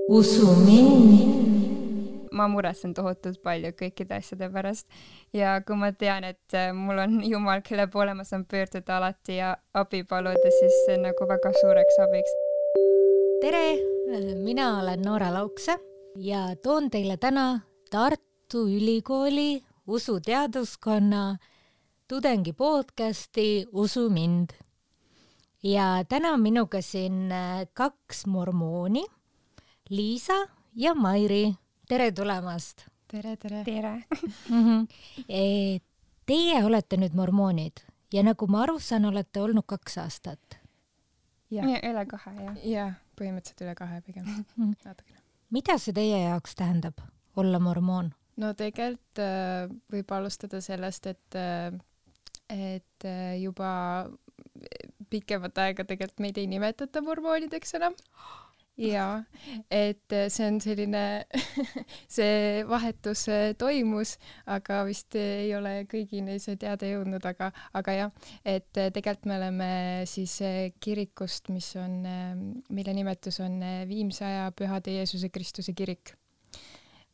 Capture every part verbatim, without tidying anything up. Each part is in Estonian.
usu mind. Ma muretsen tohutult palju kõikide asjade pärast ja kui ma tean, et mul on Jumal, kelle poole ma saan pöörduda alati ja abi paluda, siis see on nagu väga suureks abiks. Tere, mina olen Noora Laukse ja toon teile täna Tartu Ülikooli usuteaduskonna tudengi podcasti Usu mind. Ja täna on minuga siin kaks mormooni, Liisa ja Mairi. Tere tulemast! Tere, tere! Tere! Teie olete nüüd mormoonid ja nagu ma aru saan, olete olnud kaks aastat. Ja, ja üle kahe, jah. Ja, põhimõtteliselt üle kahe pigem. Natukene. Mida see teie jaoks tähendab, olla mormoon? No tegelikult äh, võib alustada sellest, et, äh, et äh, juba pikemat aega tegelikult meid ei nimetata mormoonideks enam. Ja, et see on selline, see vahetus toimus, aga vist ei ole kõigini see teada jõudnud, aga, aga jah, et tegelikult me oleme siis kirikust, mis on, mille nimetus on Viimsaja Pühade Jeesuse Kristuse kirik.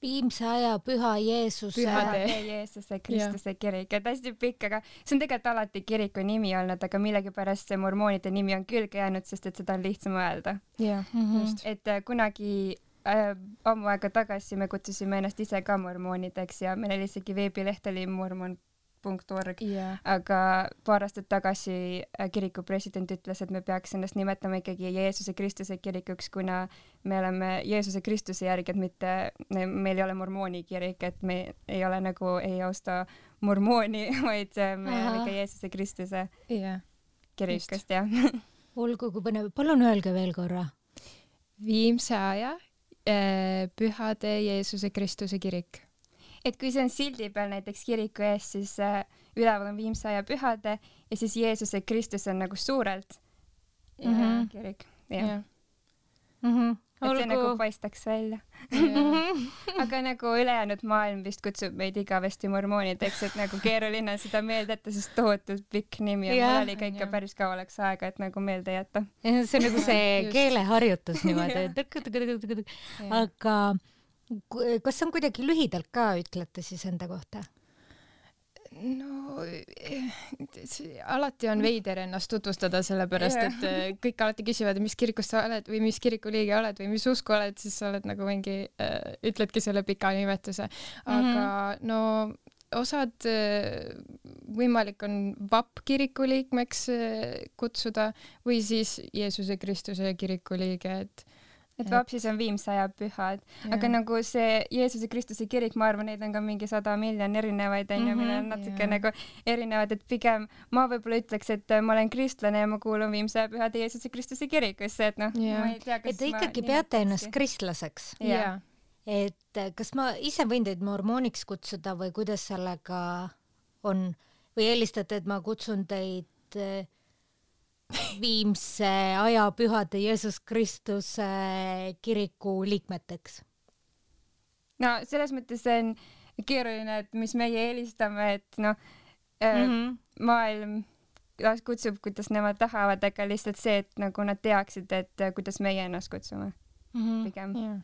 Viimsaja Püha Jeesuse Pühade Jeesuse Kristuse kirik, et hästi pikk, aga see on tegelikult alati kiriku nimi olnud, aga millegipärast see mormoonide nimi on külge jäänud, sest et seda on lihtsam öelda. Yeah, mm-hmm. just. Et kunagi äh, ammu aega tagasi me kutsusime ennast ise ka mormoonideks ja meil oli isegi veebileht oli mormon punkt org, yeah. aga paar aastat tagasi kiriku president ütles, et me peaks ennast nimetama ikkagi Jeesuse Kristuse kirikuks, kuna me oleme Jeesuse Kristuse järgi, et mitte, meil ei ole mormooni kirik, et me ei ole nagu, ei austa mormooni, vaid me oleme ikka Jeesuse Kristuse yeah. kirikust, jah. Olgu, kui põnev. Palun öelge veel korra. Viimsaja äh, Pühade Jeesuse Kristuse kirik. Et kui see on sildi peal näiteks kiriku ees, siis äh, üleval on Viimsaja Pühade ja siis Jeesuse Kristus on nagu suurelt mm-hmm. kirik. Yeah. Yeah. Mm-hmm. Et see Olgu... nagu paistaks välja. Yeah. Aga nagu ülejäänud maailm vist kutsub meid igavesti mormoonideks, et nagu keeruline on seda meelde jätta, sest tohutult pikk nimi ja yeah. mul oli ka ikka yeah. päris kaualaks aega, et nagu meelde jätta. See on nagu see keeleharjutus niimoodi. yeah. Aga kas on kuidagi lühidalt ka ütlete siis enda kohta? No alati on veider ennast tutvustada sellepärast, yeah. et kõik alati küsivad, mis kirikust sa oled või mis kiriku liige oled või mis usku oled, siis sa oled nagu mingi, äh, ütledki selle pika nimetuse. Aga mm-hmm. no osad äh, võimalik on V A P kiriku liikmeks äh, kutsuda või siis Jeesuse Kristuse kiriku liige, et et V A P siis on Viimsaja Pühad, yeah. aga nagu see Jeesuse Kristuse kirik, ma arvan, neid on ka mingi sada miljon erinevaid, on ju, mille on natuke yeah. nagu erinevad, et pigem ma võib-olla ütleks, et ma olen kristlane ja ma kuulun Viimsaja Pühade Jeesuse Kristuse kirikusse, et noh, yeah. ma ei tea, kas et te ikkagi peate ennast kristlaseks. Yeah. Et kas ma ise võin teid mormooniks kutsuda või kuidas sellega on? Või helistate, et ma kutsun teid Viimse aja Pühade Jeesus Kristuse kiriku liikmeteks? No selles mõttes on keeruline, et mis meie eelistame, et noh, mm-hmm. maailm kutsub, kuidas nemad tahavad, aga lihtsalt see, et nagu nad teaksid, et kuidas meie ennast kutsume mm-hmm. pigem. Yeah.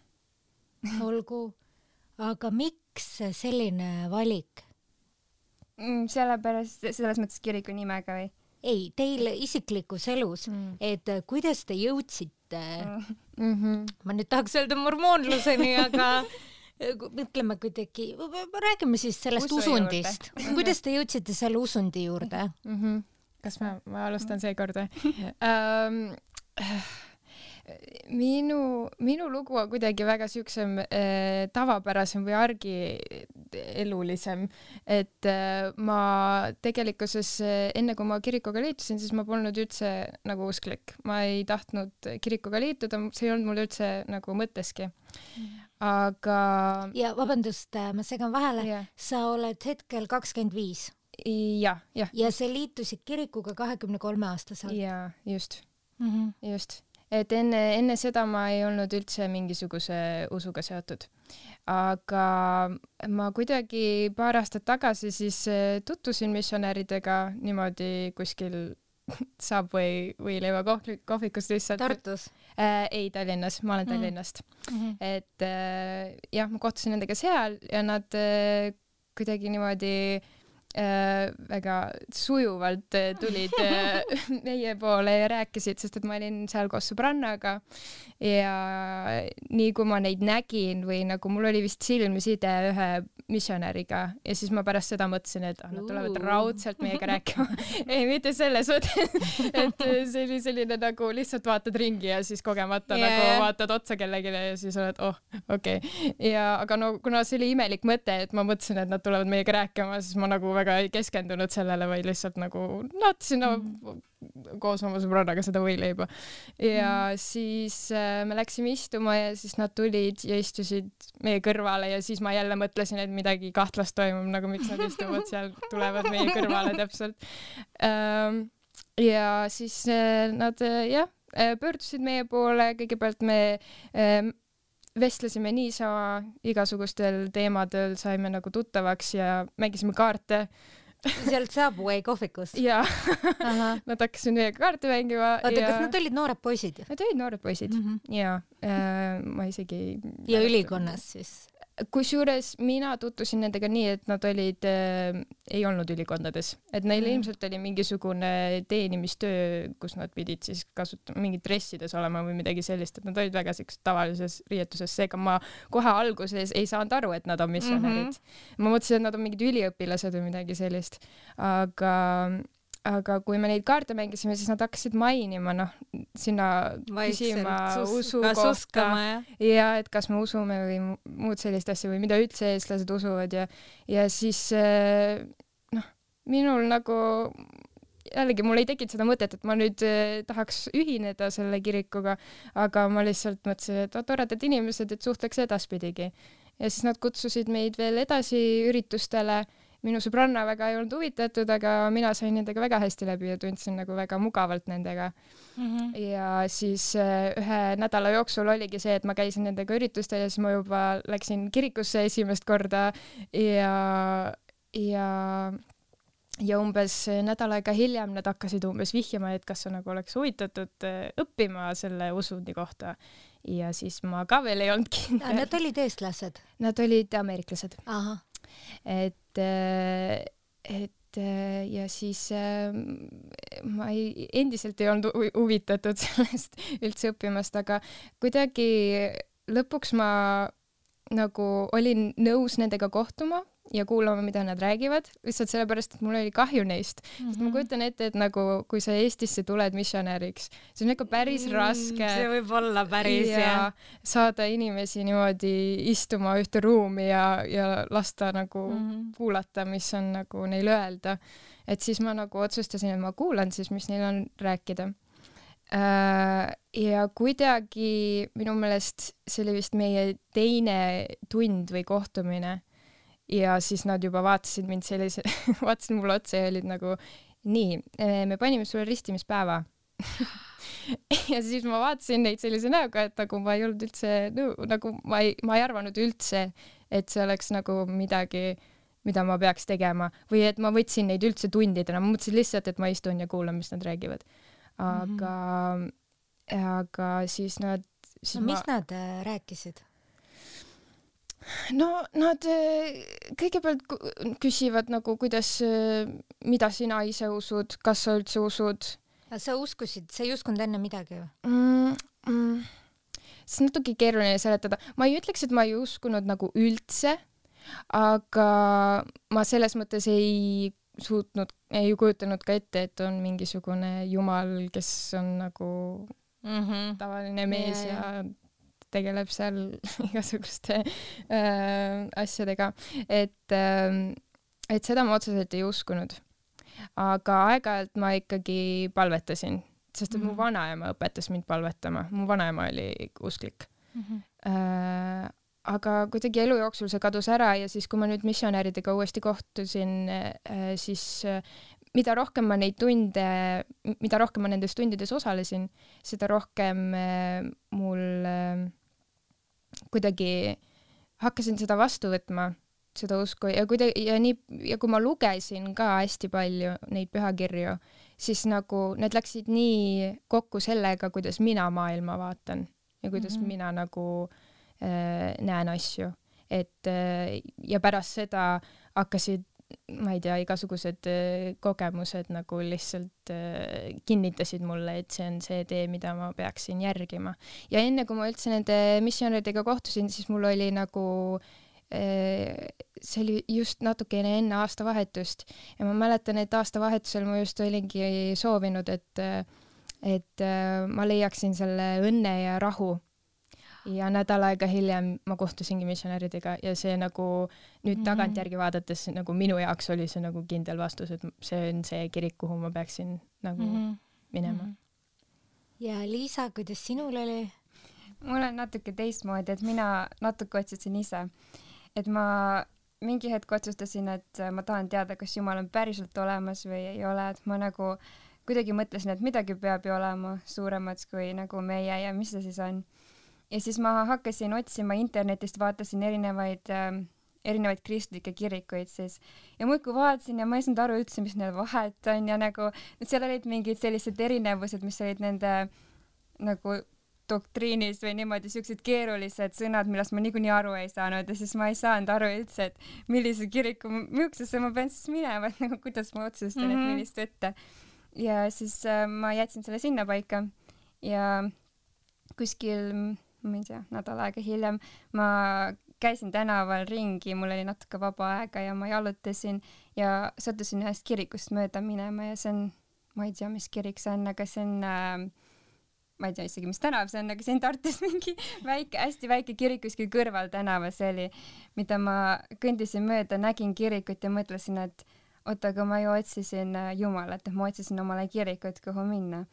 Olgu, aga miks selline valik? Mm, sellepärast, selles mõttes kiriku nimega või? Ei, teil isiklikus elus, mm. et kuidas te jõudsite, mm-hmm. ma nüüd tahaks öelda mormoonluseni, aga mõtleme kuidagi, räägime siis sellest Usu usundist. Kuidas te jõudsite selle usundi juurde? Mm-hmm. Kas ma, ma alustan seekord? um, Minu, minu lugu on kuidagi väga siuksem äh, tavapärasem või argielulisem, et äh, ma tegelikkuses äh, enne kui ma kirikuga liitusin, siis ma polnud üldse nagu usklik. Ma ei tahtnud kirikuga liituda, see ei olnud mul üldse nagu mõtteski. Aga... Ja vabandust, ma segan vahele, yeah. sa oled hetkel kakskümmend viis. Ja, ja. Ja sa liitusid kirikuga kahekümne kolme aastaselt. Ja, just. Mm-hmm. Just. Et enne, enne seda ma ei olnud üldse mingisuguse usuga seotud. Aga ma kuidagi paar aastat tagasi siis tutvusin missionäridega niimoodi kuskil Subway või leiva kohvikust lihtsalt. Tartus? äh, ei Tallinnas, ma olen Tallinnast mm. -hmm. et äh, jah, ma kohtusin nendega seal ja nad äh, kuidagi niimoodi äh, väga sujuvalt äh, tulid äh, meie poole ja rääkisid, sest et ma olin seal koos sõbrannaga ja nii kui ma neid nägin või nagu mul oli vist silmside ühe missionäriga ja siis ma pärast seda mõtlesin, et ah, nad tulevad raudselt meiega rääkima. ei, mitte selles mõttes, et see oli selline nagu lihtsalt vaatad ringi ja siis kogemata yeah. nagu vaatad otsa kellelegi ja siis oled, oh, okei okay.. ja aga no kuna see oli imelik mõte, et ma mõtlesin, et nad tulevad meiega rääkima, siis ma nagu väga ei keskendunud sellele, vaid lihtsalt nagu nautisin no, mm. koos oma sõbrannaga seda võileiba. ja mm. siis äh, me läksime istuma ja siis nad tulid ja istusid meie kõrvale ja siis ma jälle mõtlesin, et midagi kahtlast toimub, nagu miks nad istuvad seal, tulevad meie kõrvale täpselt. Ähm, ja siis äh, nad äh, jah, pöördusid meie poole, kõigepealt me äh, vestlesime niisama igasugustel teemadel, saime nagu tuttavaks ja mängisime kaarte. Sealt Subway kohvikust? Jaa. Nad hakkasid meiega kaarte mängima. Oota, ja... kas nad olid noored poisid? Nad olid noored poisid, mm -hmm. jaa. Äh, ma isegi... Ja ülikonnas siis? Kusjuures mina tutvusin nendega nii, et nad olid, äh, ei olnud ülikondades. Et neil mm. ilmselt oli mingisugune teenimistöö, kus nad pidid siis kasutama mingid dressides olema või midagi sellist, et nad olid väga sellised tavalises riietuses. Seega ma kohe alguses ei saanud aru, et nad on missionärid. Mm -hmm. Ma mõtlesin, et nad on mingid üliõpilased või midagi sellist. Aga... aga kui me neid kaarte mängisime, siis nad hakkasid mainima, noh, sinna küsima usu kohta ja. ja et kas me usume või muud sellist asja või mida üldse eestlased usuvad ja, ja siis noh, minul nagu jällegi mul ei tekkinud seda mõtet, et ma nüüd tahaks ühineda selle kirikuga, aga ma lihtsalt mõtlesin, et toredad inimesed, et suhtleks edaspidigi. Ja siis nad kutsusid meid veel edasi üritustele. Minu sõbranna väga ei olnud huvitatud, aga mina sain nendega väga hästi läbi ja tundsin nagu väga mugavalt nendega. Mm-hmm. Ja siis ühe nädala jooksul oligi see, et ma käisin nendega üritustel ja siis ma juba läksin kirikusse esimest korda ja, ja, ja umbes nädal aega hiljem nad hakkasid umbes vihjama, et kas sa nagu oleks huvitatud õppima selle usundi kohta. Ja siis ma ka veel ei olnud kindel. Nad olid eestlased? Nad olid ameeriklased. Aha. et, et ja siis ma ei, endiselt ei olnud huvitatud sellest üldse õppimast, aga kuidagi lõpuks ma nagu olin nõus nendega kohtuma ja kuulama, mida nad räägivad, lihtsalt sellepärast, et mul oli kahju neist. Mm-hmm. Sest ma kujutan ette, et nagu kui sa Eestisse tuled missionäriks, see on ikka päris raske. See võib olla päris, ja. Ja saada inimesi niimoodi istuma ühte ruumi ja, ja lasta nagu mm-hmm. kuulata, mis on nagu neil öelda. Et siis ma nagu otsustasin, et ma kuulan siis, mis neil on rääkida. Ja kuidagi minu meelest see oli vist meie teine tund või kohtumine. Ja siis nad juba vaatasid mind sellise, vaatasid mulle otsa ja olid nagu, nii, me panime sulle ristimispäeva. Ja siis ma vaatasin neid sellise näoga, et nagu ma ei olnud üldse, nagu ma ei, ma ei arvanud üldse, et see oleks nagu midagi, mida ma peaks tegema. Või et ma võtsin neid üldse tundidena. Ma mõtlesin lihtsalt, et ma istun ja kuulan, mis nad räägivad. Aga, mm-hmm. aga siis nad... Siis no, ma... mis nad äh, rääkisid? No nad kõigepealt küsivad nagu, kuidas, mida sina ise usud, kas sa üldse usud? Sa uskusid, sa ei uskunud enne midagi ju? Mm, mm, see on natuke keeruline seletada. Ma ei ütleks, et ma ei uskunud nagu üldse, aga ma selles mõttes ei suutnud, ei kujutanud ka ette, et on mingisugune jumal, kes on nagu mm-hmm. tavaline mees ja, ja... ja tegeleb seal igasuguste äh, asjadega, et, äh, et seda ma otseselt ei uskunud. Aga aeg-ajalt ma ikkagi palvetasin, sest et mm-hmm. mu vanaema õpetas mind palvetama. Mu vanaema oli usklik. Mm-hmm. Äh, aga kuidagi elu jooksul see kadus ära ja siis, kui ma nüüd missionäridega uuesti kohtusin, äh, siis äh, mida rohkem ma neid tunde, mida rohkem ma nendes tundides osalesin, seda rohkem äh, mul äh, kuidagi hakkasin seda vastu võtma, seda usku ja kuidagi, ja nii, ja kui ma lugesin ka hästi palju neid pühakirju, siis nagu need läksid nii kokku sellega, kuidas mina maailma vaatan ja kuidas mm-hmm. mina nagu äh, näen asju. Et äh, ja pärast seda hakkasid, ma ei tea, igasugused äh, kogemused nagu lihtsalt äh, kinnitasid mulle, et see on see tee, mida ma peaksin järgima. Ja enne, kui ma üldse nende missionäridega kohtusin, siis mul oli nagu see oli just natukene enne aastavahetust ja ma mäletan, et aastavahetusel ma just olingi soovinud, et, et ma leiaksin selle õnne ja rahu. Ja nädal aega hiljem ma kohtusingi missionäridega ja see nagu nüüd mm-hmm. tagantjärgi vaadates nagu minu jaoks oli see nagu kindel vastus, et see on see kirik, kuhu ma peaksin nagu mm-hmm. minema. Ja Liisa, kuidas sinul oli? Mul on natuke teistmoodi, et mina natuke otsisin ise. Et ma mingi hetk otsustasin, et ma tahan teada, kas Jumal on päriselt olemas või ei ole, et ma nagu kuidagi mõtlesin, et midagi peab ju olema suuremaks kui nagu meie ja mis see siis on. Ja siis ma hakkasin otsima internetist, vaatasin erinevaid, äh, erinevaid kristlikke kirikuid siis ja muudkui vaatasin ja ma ei saanud aru üldse, mis neil vahet on ja nagu, et seal olid mingid sellised erinevused, mis olid nende nagu doktriinis või niimoodi siuksed keerulised sõnad, millest ma niikuinii aru ei saanud ja siis ma ei saanud aru üldse, et millise kiriku, millisesse ma pean siis minema, et nagu kuidas ma otsustan, mm-hmm. et millist võtta. Ja siis äh, ma jätsin selle sinna paika ja kuskil, ma ei tea, nädal aega hiljem ma käisin tänaval ringi, mul oli natuke vaba aega ja ma jalutasin ja sattusin ühest kirikust mööda minema ja see on, ma ei tea, mis kirik see on, aga see on äh, ma ei tea isegi, mis tänav see on, aga siin Tartus mingi väike, hästi väike kirik kuskil kõrval tänava see oli, mida ma kõndisin mööda, nägin kirikut ja mõtlesin, et oota, aga ma ju otsisin Jumalat, et ma otsisin omale kirikut, kuhu minna.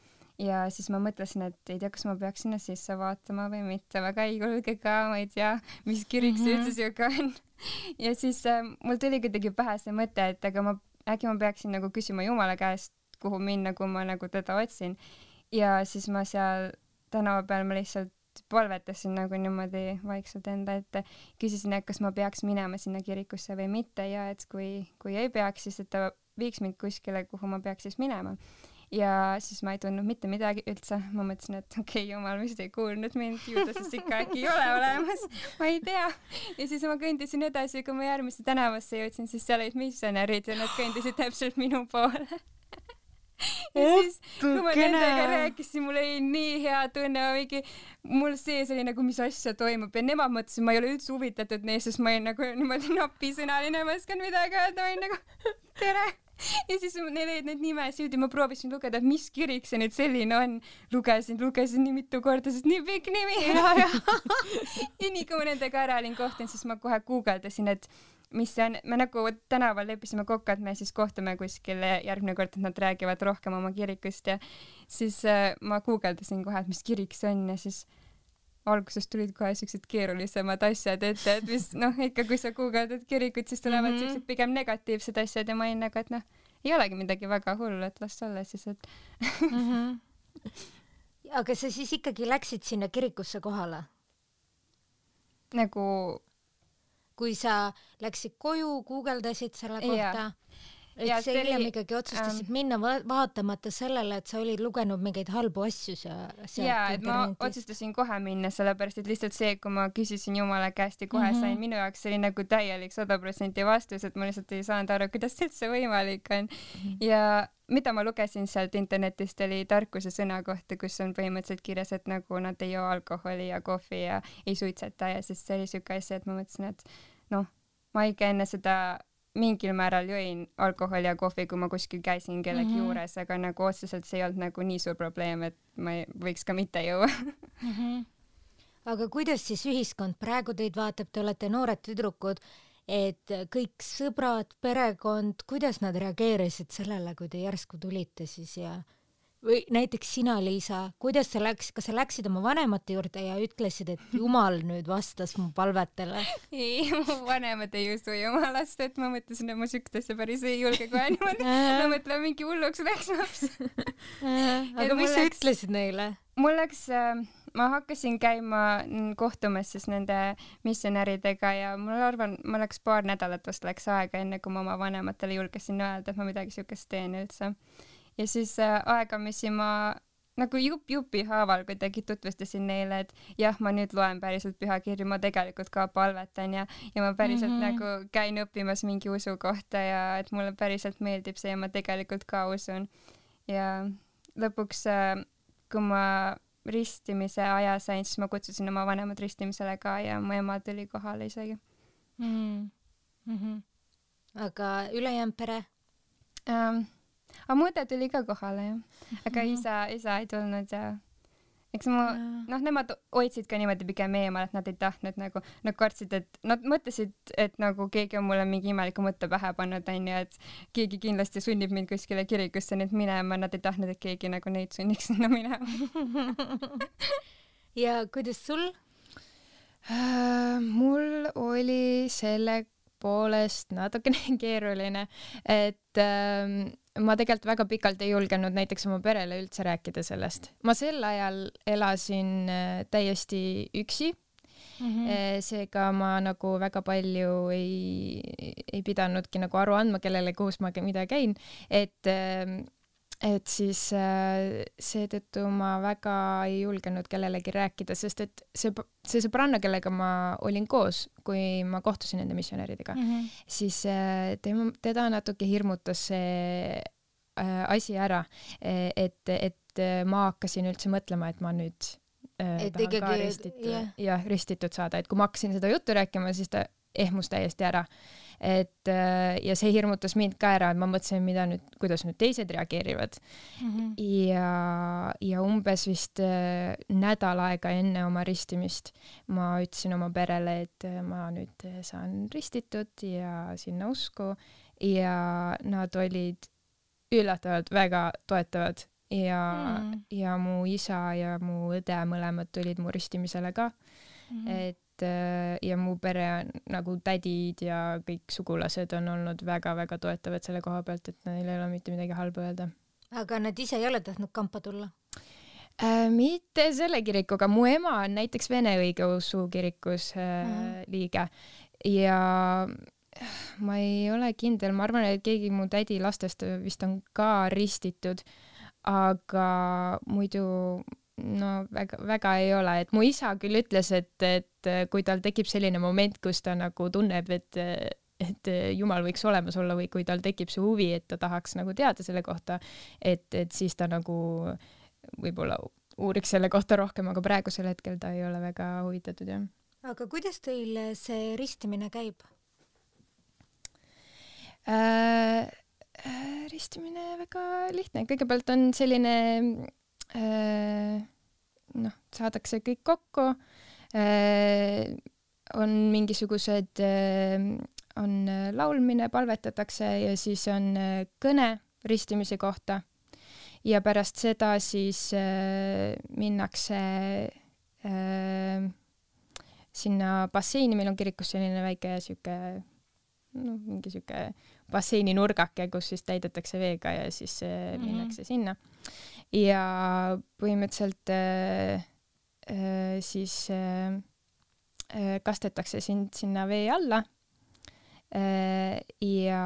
Ja siis ma mõtlesin, et ei tea, kas ma peaks sinna sisse vaatama või mitte, väga ei julge ka, ma ei tea, mis kirik see üldse siuke on. Ja siis äh, mul tuli kuidagi pähe see mõte, et aga ma, äkki ma peaksin nagu küsima Jumala käest, kuhu minna, kui ma nagu teda otsin. Ja siis ma seal tänava peal ma lihtsalt palvetasin nagu niimoodi vaikselt enda ette, küsisin, et kas ma peaks minema sinna kirikusse või mitte ja et kui, kui ei peaks, siis et ta viiks mind kuskile, kuhu ma peaks siis minema. Ja siis ma ei tundnud mitte midagi üldse, ma mõtlesin, et okei, okay, Jumal vist ei kuulnud mind, ju ta siis ikka äkki ei ole olemas, ma ei tea. Ja siis ma kõndisin edasi, kui ma järgmisse tänavasse jõudsin, siis seal olid missionärid ja nad kõndisid täpselt minu poole. Ja siis, kui ma nendega rääkisin, mul oli nii hea tunne, mingi, mul sees oli nagu, mis asja toimub ja nemad mõtlesid, ma ei ole üldse huvitatud neist, sest ma olin nagu niimoodi napisõnaline, ma oskan midagi öelda, ma olin nagu tere. Ja siis neil olid need nimesid ja ma proovisin lugeda, et mis kirik see nüüd selline on. Lugesin, lugesin nii mitu korda, sest nii pikk nimi. Ja, ja. Ja nii kui ma nendega ära olin kohtunud, siis ma kohe guugeldasin, et mis see on, me nagu tänaval leppisime kokku, et me siis kohtume kuskil järgmine kord, et nad räägivad rohkem oma kirikust ja siis äh, ma guugeldasin kohe, et mis kirik see on ja siis alguses tulid kohe siuksed keerulisemad asjad ette, et mis noh, ikka kui sa guugeldad kirikut, siis tulevad mm -hmm. siuksed pigem negatiivsed asjad ja ma olin nagu, et noh, ei olegi midagi väga hullu, et las olla siis, et mm -hmm. Aga sa siis ikkagi läksid sinna kirikusse kohale? Nagu kui sa läksid koju, guugeldasid selle kohta, et ja, sa hiljem oli... ikkagi otsustasid ähm... minna va vaatamata sellele, et sa olid lugenud mingeid halbu asju sealt jaa, et ma otsustasin kohe minna, sellepärast et lihtsalt see, kui ma küsisin Jumala käest ja kohe mm -hmm. sain, minu jaoks see oli nagu täielik sada protsenti vastus, et ma lihtsalt ei saanud aru, kuidas see üldse võimalik on mm. -hmm. Ja mida ma lugesin sealt internetist, oli tarkuse sõna kohta, kus on põhimõtteliselt kirjas, et nagu nad ei joo alkoholi ja kohvi ja ei suitseta ja siis see oli siuke asja, et ma mõtlesin, et noh, ma ikka enne seda mingil määral jõin alkoholi ja kohvi, kui ma kuskil käisin kellegi mm -hmm. juures, aga nagu otseselt see ei olnud nagu nii suur probleem, et ma ei, võiks ka mitte juua mm. -hmm. Aga kuidas siis ühiskond praegu teid vaatab, te olete noored tüdrukud, et kõik sõbrad, perekond, kuidas nad reageerisid sellele, kui te järsku tulite siis ja või näiteks sina, Liisa, kuidas sa läks, kas sa läksid oma vanemate juurde ja ütlesid, et Jumal nüüd vastas mu palvetele? Ei, mu vanemad ei usu Jumalast, et ma mõtlesin, et ma süktasse päris ei julge kohe niimoodi. Ma mõtlen, mingi hulluks läks laps. Aga mis sa läks, ütlesid neile? Mul läks, ma hakkasin käima kohtumas siis nende missionäridega ja mul arvan, ma läks paar nädalat vast läks aega, enne kui ma oma vanematele julgesin öelda, et ma midagi siukest teen üldse. ja siis äh, aegamisi ma nagu jupp jupi haaval kuidagi tutvustasin neile, et jah, ma nüüd loen päriselt pühakirju, ma tegelikult ka palvetan ja, ja ma päriselt mm -hmm. nagu käin õppimas mingi usu kohta ja et mulle päriselt meeldib see ja ma tegelikult ka usun. Ja lõpuks, kui ma ristimise aja sain, siis ma kutsusin oma vanemad ristimisele ka ja mu ema tuli kohale isegi. Mm -hmm. Aga ülejäänud pere? Um, aga mu õde tuli ka kohale, jah. Aga mm -hmm. isa, isa ei tulnud ja eks ma, noh, nemad hoidsid ka niimoodi pigem eemal, et nad ei tahtnud nagu, nad kartsid, et nad mõtlesid, et nagu keegi on mulle mingi imeliku mõtte pähe pannud, on ju, et keegi kindlasti sunnib mind kuskile kirikusse nüüd minema, nad ei tahtnud, et keegi nagu neid sunniks sinna minema. Ja kuidas sul? Uh, mul oli selle poolest natukene keeruline, et ähm, ma tegelikult väga pikalt ei julgenud näiteks oma perele üldse rääkida sellest. Ma sel ajal elasin äh, täiesti üksi. Mm-hmm. E, seega ma nagu väga palju ei, ei pidanudki nagu aru andma kellele, kus ma mida käin. Et, äh, et siis äh, seetõttu ma väga ei julgenud kellelegi rääkida, sest et see, see sõbranna, kellega ma olin koos, kui ma kohtusin nende missionäridega, mm-hmm. siis äh, tema, teda natuke hirmutas see äh, asi ära, et, et ma hakkasin üldse mõtlema, et ma nüüd äh, et tahan ikkagi, ka ristitud, yeah. ja, ristitud saada, et kui ma hakkasin seda juttu rääkima, siis ta ehmus täiesti ära. Et, ja see hirmutas mind ka ära, et ma mõtlesin, mida nüüd, kuidas nüüd teised reageerivad. Mm-hmm. Ja, ja umbes vist äh, nädal aega enne oma ristimist ma ütlesin oma perele, et ma nüüd saan ristitud ja sinna usku ja nad olid üllatavalt väga toetavad ja, mm. ja mu isa ja mu õde mõlemad tulid mu ristimisele ka. Mm-hmm. Et ja mu pere nagu tädid ja kõik sugulased on olnud väga-väga toetavad selle koha pealt, et neil ei ole mitte midagi halba öelda. Aga nad ise ei ole tahtnud kampa tulla? Äh, mitte selle kirikuga. Mu ema on näiteks Vene õigeusu kirikus äh, mm. liige ja ma ei ole kindel, ma arvan, et keegi mu tädi lastest vist on ka ristitud, aga muidu no väga, väga ei ole, et mu isa küll ütles, et, et kui tal tekib selline moment, kus ta nagu tunneb, et, et Jumal võiks olemas olla või kui tal tekib see huvi, et ta tahaks nagu teada selle kohta, et, et siis ta nagu võib-olla uuriks selle kohta rohkem, aga praegusel hetkel ta ei ole väga huvitatud, jah. Aga kuidas teil see ristimine käib? Äh, äh, ristimine väga lihtne. Kõigepealt on selline noh, saadakse kõik kokku, on mingisugused, on laulmine, palvetatakse ja siis on kõne ristimise kohta ja pärast seda siis minnakse sinna basseini, meil on kirikus selline väike siuke, no mingi siuke basseini nurgake, kus siis täidetakse veega ja siis mm-hmm. minnakse sinna. Ja põhimõtteliselt äh, äh, siis äh, kastetakse sind sinna vee alla äh, ja,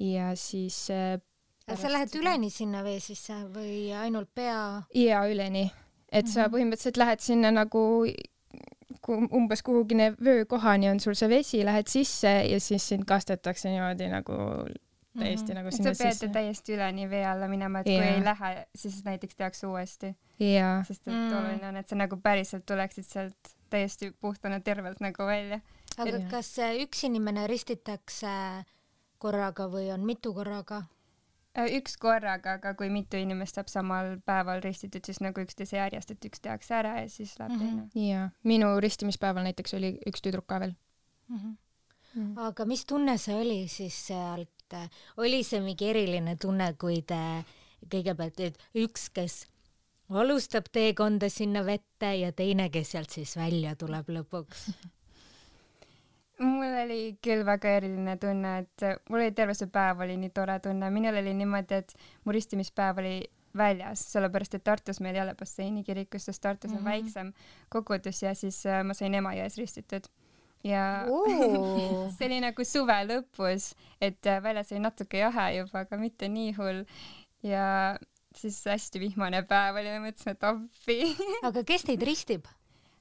ja siis äh, sa lähed üleni sinna vee sisse või ainult pea? Ja üleni, et mm-hmm. sa põhimõtteliselt lähed sinna nagu umbes kuhugine vöökohani on sul see vesi, lähed sisse ja siis sind kastetakse niimoodi nagu täiesti mm-hmm. nagu sinna sisse. Sa sisse. pead täiesti üleni vee alla minema, et yeah. kui ei lähe, siis näiteks tehakse uuesti. Yeah. Sest et mm. oluline on, et sa nagu päriselt tuleksid sealt täiesti puhtana tervelt nagu välja. Aga yeah. kas üks inimene ristitakse korraga või on mitu korraga? Üks korraga, aga kui mitu inimest saab samal päeval ristitud, siis nagu üksteise järjest, et üks tehakse ära ja siis läheb mm-hmm. teine. Jaa, minu ristimispäeval näiteks oli üks tüdruk ka veel. Mm-hmm. Mm. Aga mis tunne see oli siis sealt? Oli see mingi eriline tunne, kui te kõigepealt et üks, kes alustab teekonda sinna vette ja teine, kes sealt siis välja tuleb lõpuks? Mul oli küll väga eriline tunne, et mul oli terve see päev oli nii tore tunne. Minul oli niimoodi, et mu ristimispäev oli väljas, sellepärast et Tartus meil ei ole basseini kirikus, sest Tartus on mm-hmm. väiksem kogudus ja siis ma sain Emajões ristitud. Ja see oli nagu suve lõpus, et väljas oli natuke jahe juba, aga mitte nii hull. ja siis hästi vihmane päev oli, mõtlesime, et appi. Aga kes teid ristib?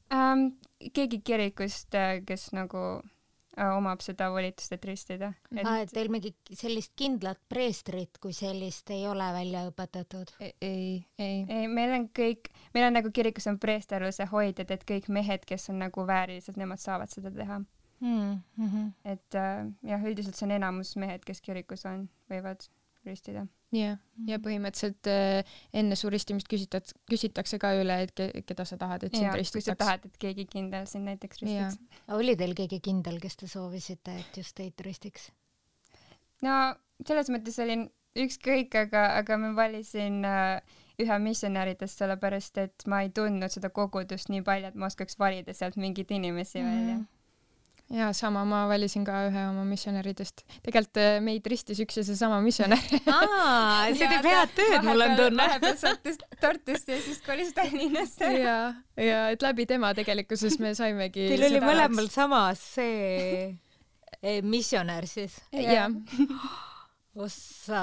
Um, keegi kirikust, kes nagu uh, omab seda volitust, et ristida. Et... Ah, et teil mingi sellist kindlat preestrit kui sellist ei ole välja õpetatud? Ei, ei, ei. ei. Meil on kõik, meil on nagu kirikus on preesterluse hoidjad, et kõik mehed, kes on nagu väärilised, nemad saavad seda teha. Mm -hmm. Et uh, jah, üldiselt see on enamus mehed, kes kirikus on, võivad ristida. jah, ja põhimõtteliselt äh, enne su ristimist küsitad, küsitakse ka üle, et ke, keda sa tahad, et sind ristitaks. Kui sa tahad, et keegi kindel sind näiteks ristiks. Oli teil keegi kindel, kes te soovisite, et just teid ristiks? No selles mõttes olin ükskõik, aga, aga ma valisin äh, ühe missionäridest, sellepärast et ma ei tundnud seda kogudust nii palju, et ma oskaks valida sealt mingeid inimesi mm. välja. Ja sama, ma valisin ka ühe oma missionäridest. Tegelikult meid ristis üks ja see sama missionär. Aa, see teeb head tööd, mul on tunne. Vahepeal sattus Tartusse ja siis kolis Tallinnasse. Ja, ja et läbi tema tegelikkuses me saimegi... Teil oli mõlemal samas see missionär siis? Jah. Ossa,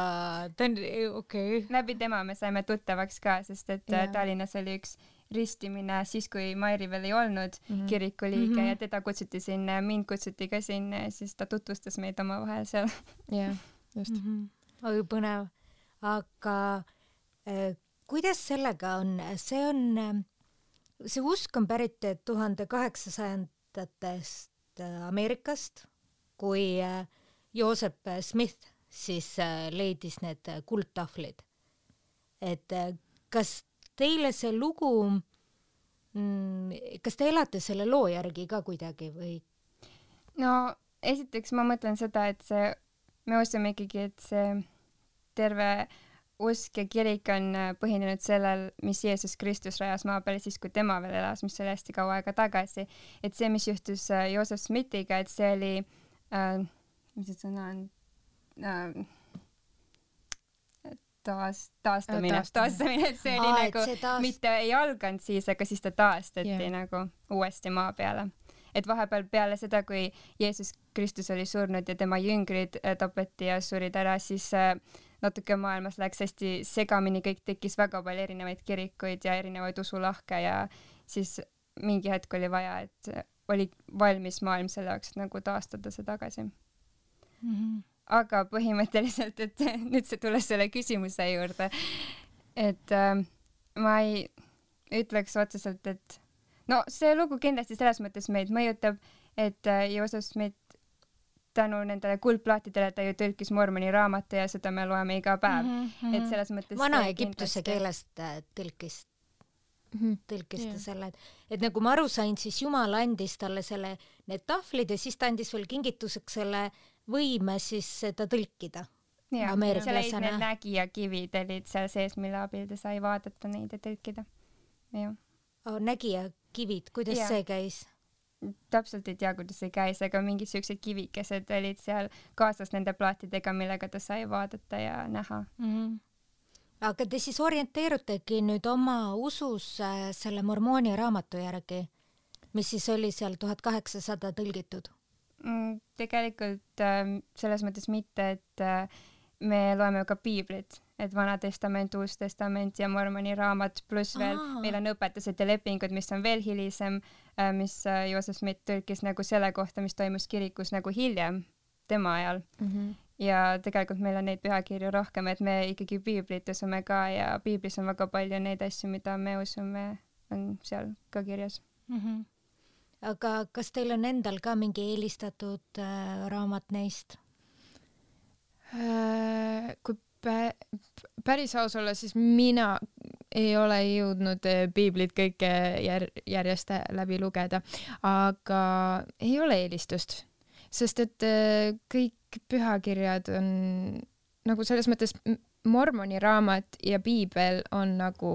ta on okei. Okay. Läbi tema me saime tuttavaks ka, sest et ja. Tallinnas oli üks ristimine siis, kui Mairi veel ei olnud mm -hmm. kiriku liige mm -hmm. ja teda kutsuti sinna, mind kutsuti ka sinna ja siis ta tutvustas meid omavahel seal. jah, just. Mm -hmm. Oi, põnev. Aga äh, kuidas sellega on? See on, see usk on pärit tuhande kaheksasajandatest Ameerikast, kui äh, Joseph Smith siis äh, leidis need kuldtahvlid. Et äh, kas teile see lugu, mm, kas te elate selle loo järgi ka kuidagi või? No esiteks ma mõtlen seda, et see, me usume ikkagi, et see terve usk ja kirik on põhinenud sellel, mis Jeesus Kristus rajas maa peale siis, kui tema veel elas, mis oli hästi kaua aega tagasi. Et see, mis juhtus Joseph Smithiga, et see oli äh, mis see sõna on äh, taas, taastamine, taastamine, et see oli Aa, nagu, taast... mitte ei alganud siis, aga siis ta taastati yeah. nagu uuesti maa peale. Et vahepeal peale seda, kui Jeesus Kristus oli surnud ja tema jüngrid tapeti ja surid ära, siis natuke maailmas läks hästi segamini, kõik tekkis väga palju erinevaid kirikuid ja erinevaid usulahke ja siis mingi hetk oli vaja, et oli valmis maailm selle jaoks, et nagu taastada see tagasi. Mm-hmm. Aga põhimõtteliselt, et nüüd see tulles selle küsimuse juurde, et äh, ma ei ütleks otseselt, et no see lugu kindlasti selles mõttes meid mõjutab, et äh, Joseph Smith tänu nendele kuldplaatidele ta ju tõlkis Mormoni raamatu ja seda me loeme iga päev. Mm-hmm. Et selles mõttes Vana-Egiptuse keelest tõlkis, mm-hmm. tõlkis ta yeah. selle. Et nagu ma aru sain, siis Jumal andis talle selle, need tahvlid ja siis ta andis veel kingituseks selle võime siis seda tõlkida. Ja, seal olid need nägijakivid olid seal sees, mille abil ta sai vaadata neid ja tõlkida. Oh, nägijakivid, kuidas ja. see käis? Täpselt ei tea, kuidas see käis, aga mingid sellised kivikesed olid seal kaasas nende plaatidega, millega ta sai vaadata ja näha. Mm-hmm. Aga te siis orienteerutegi nüüd oma usus äh, selle Mormooni raamatu järgi, mis siis oli seal tuhat kaheksasada tõlgitud? Mm, tegelikult äh, selles mõttes mitte, et äh, me loeme ka piiblit, et Vana Testament, Uus Testament ja Mormoni raamat, pluss veel Aa. meil on õpetused ja lepingud, mis on veel hilisem, äh, mis äh, Joseph Smith tõlkis nagu selle kohta, mis toimus kirikus nagu hiljem, tema ajal. Mm-hmm. Ja tegelikult meil on neid pühakirju rohkem, et me ikkagi piiblit usume ka ja piiblis on väga palju neid asju, mida me usume, on seal ka kirjas. Mm-hmm. Aga kas teil on endal ka mingi eelistatud äh, raamat neist? Äh, kui pä- päris aus olla, siis mina ei ole jõudnud piiblit kõike jär- järjest läbi lugeda, aga ei ole eelistust, sest et äh, kõik pühakirjad on nagu selles mõttes Mormoni raamat ja piibel on nagu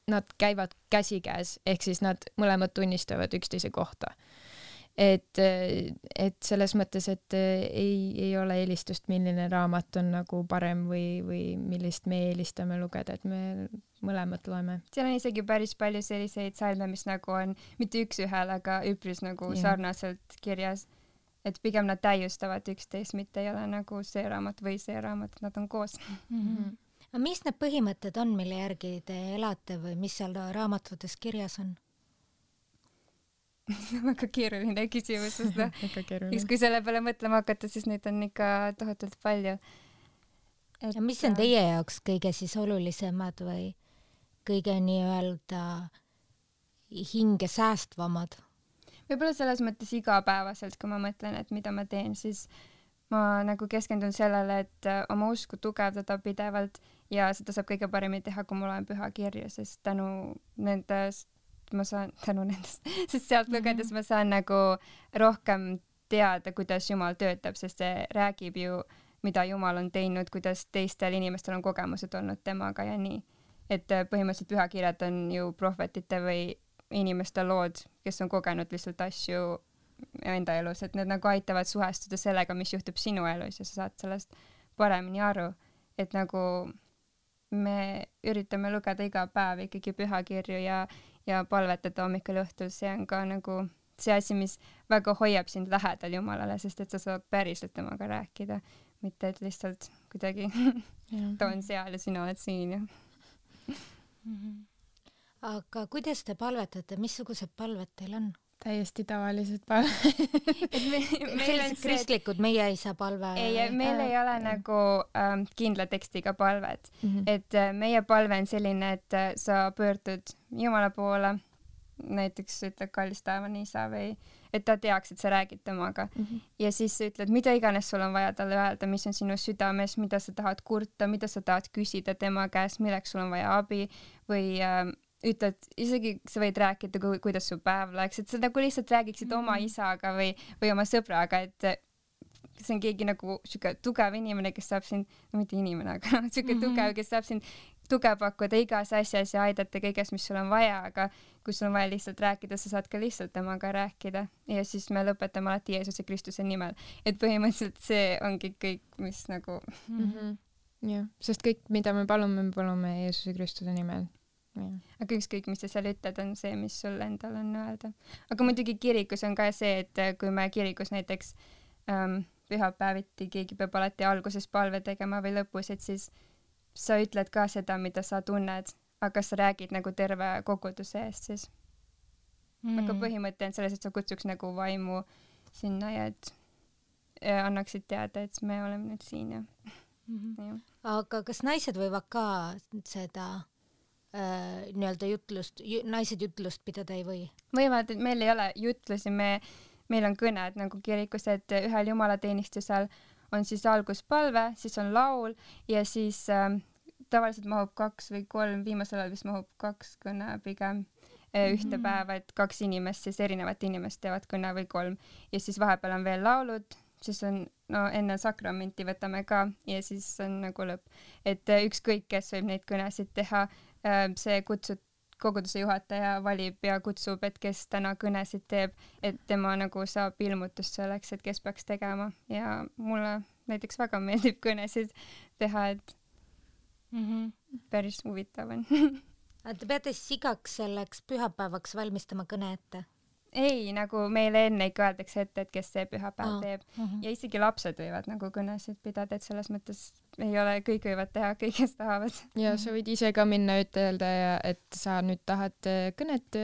nad käivad käsikäes, ehk siis nad mõlemad tunnistavad üksteise kohta. Et, et selles mõttes, et ei, ei ole eelistust, milline raamat on nagu parem või, või millist me eelistame lugeda, et me mõlemad loeme. Seal on isegi päris palju selliseid salme, mis nagu on mitte üks ühel, aga üpris nagu ja. sarnaselt kirjas. Et pigem nad täiustavad üksteist, mitte ei ole nagu see raamat või see raamat, nad on koos. Mm-hmm. mis need põhimõtted on, mille järgi te elate või mis seal raamatutes kirjas on? Väga keeruline küsimus, sest kui selle peale mõtlema hakata, siis neid on ikka tohutult palju. Et... Ja mis on teie jaoks kõige siis olulisemad või kõige nii-öelda hinge säästvamad? Võib-olla selles mõttes igapäevaselt, kui ma mõtlen, et mida ma teen, siis ma nagu keskendun sellele, et oma usku tugevdada pidevalt ja seda saab kõige paremini teha, kui ma loen pühakirju, sest tänu nendest ma saan, tänu nendest, sest sealt lugedes ma saan nagu rohkem teada, kuidas Jumal töötab, sest see räägib ju, mida Jumal on teinud, kuidas teistel inimestel on kogemused olnud temaga ja nii. Et põhimõtteliselt pühakirjad on ju prohvetite või inimeste lood, kes on kogenud lihtsalt asju enda elus, et need nagu aitavad suhestuda sellega, mis juhtub sinu elus ja sa saad sellest paremini aru, et nagu me üritame lugeda iga päev ikkagi pühakirju ja ja palvetada hommikul õhtul, see on ka nagu see asi, mis väga hoiab sind lähedal Jumalale, sest et sa saad päriselt temaga rääkida, mitte et lihtsalt kuidagi ta on seal ja sina oled siin. Ja. Mm-hmm. Aga kuidas te palvetate, missugused palved teil on? Täiesti tavalised palved. me, sellised kristlikud, meie ei saa palve. Ei, meil ei ole äh, nagu ähm, kindla tekstiga palved. Mm-hmm. Et äh, meie palve on selline, et äh, sa pöördud Jumala poole, näiteks ütled kallis taevane isa või et ta teaks, et sa räägid temaga. Mm-hmm. Ja siis sa ütled, mida iganes sul on vaja talle öelda, mis on sinu südames, mida sa tahad kurta, mida sa tahad küsida tema käest, milleks sul on vaja abi või äh, ütled, isegi sa võid rääkida, ku, kuidas su päev läks, et sa nagu lihtsalt räägiksid mm-hmm. oma isaga või, või oma sõbraga, et see on keegi nagu siuke tugev inimene, kes saab sind, no mitte inimene, aga siuke mm-hmm. tugev, kes saab sind tuge pakkuda igas asjas ja aidata kõiges, mis sul on vaja, aga kui sul on vaja lihtsalt rääkida, sa saad ka lihtsalt temaga rääkida ja siis me lõpetame alati Jeesuse Kristuse nimel, et põhimõtteliselt see ongi kõik, mis nagu mm-hmm. jah, sest kõik, mida me palume, me palume Jeesuse Kristuse nimel. Ja. Aga ükskõik, mis sa seal ütled, on see, mis sul endal on öelda. Aga muidugi kirikus on ka see, et kui me kirikus näiteks ähm, pühapäeviti keegi peab alati alguses palve tegema või lõpus, et siis sa ütled ka seda, mida sa tunned, aga sa räägid nagu terve koguduse eest siis. Mm. Aga põhimõte on selles, et sa kutsuks nagu vaimu sinna ja et ja annaksid teada, et me oleme nüüd siin ja, mm-hmm. ja. Aga kas naised võivad ka seda Äh, nii-öelda jutlust, ju, naised jutlust pidada ei või? Võivad, et meil ei ole jutlusi, me, meil on kõned nagu kirikus, et ühel jumalateenistusel on siis alguspalve, siis on laul ja siis äh, tavaliselt mahub kaks või kolm, viimasel ajal vist mahub kaks kõne pigem äh, ühte mm-hmm. päeva, et kaks inimest, siis erinevat inimest teevad kõne või kolm ja siis vahepeal on veel laulud, siis on, no enne sakramenti võtame ka ja siis on nagu lõpp, et äh, ükskõik, kes võib neid kõnesid teha, see kutsud, koguduse juhataja valib ja kutsub, et kes täna kõnesid teeb, et tema nagu saab ilmutust selleks, et kes peaks tegema ja mulle näiteks väga meeldib kõnesid teha, et mm-hmm. päris huvitav on. Te peate siis igaks selleks pühapäevaks valmistama kõne ette? Ei, nagu meile enne ikka öeldakse ette, et kes see pühapäev oh. teeb mm-hmm. ja isegi lapsed võivad nagu kõnesid pidada, et selles mõttes ei ole, kõik võivad teha, kõik kes tahavad. Ja sa võid ise ka minna ütelda, et sa nüüd tahad kõnet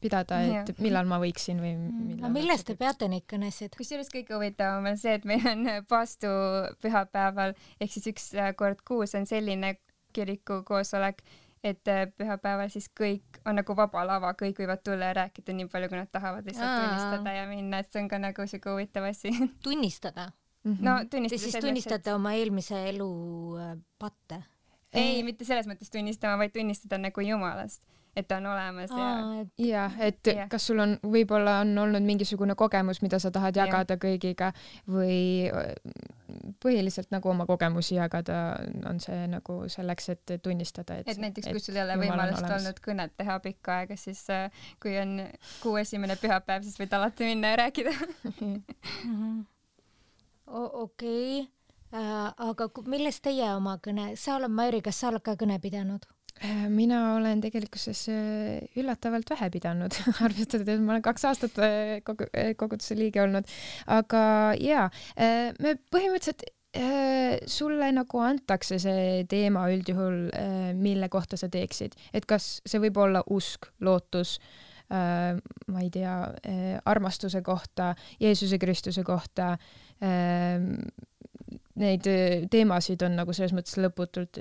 pidada, et ja. millal ma võiksin või millal. Millest te peate neid kõnesid? Kusjuures kõige huvitavam on see, et meil on paastu pühapäeval ehk siis üks kord kuus on selline kiriku koosolek, et pühapäeval siis kõik on nagu vaba lava, kõik võivad tulla ja rääkida nii palju, kui nad tahavad lihtsalt Aa. tunnistada ja minna, et see on ka nagu siuke huvitav asi. Tunnistada? Mm-hmm. No tunnistada. Te siis tunnistate et... oma eelmise elu patte? Ei, mitte selles mõttes tunnistama, vaid tunnistada nagu Jumalast, et ta on olemas ja... ja, et ja. Kas sul on, võib-olla on olnud mingisugune kogemus, mida sa tahad jagada ja. kõigiga või põhiliselt nagu oma kogemusi jagada on see nagu selleks, et tunnistada, et... Et näiteks, kui sul ei ole võimalust olnud kõnet teha pikka aega, siis kui on kuu esimene pühapäev, siis võid alati minna ja rääkida. Okei. Äh, aga millest teie oma kõne, sa oled, Mairi, kas sa oled ka kõne pidanud? Mina olen tegelikkuses üllatavalt vähe pidanud, arvestades, et ma olen kaks aastat kogu, koguduse liige olnud, aga jaa, me põhimõtteliselt sulle nagu antakse see teema üldjuhul, mille kohta sa teeksid, et kas see võib olla usk, lootus, ma ei tea, armastuse kohta, Jeesuse Kristuse kohta. Neid teemasid on nagu selles mõttes lõputult.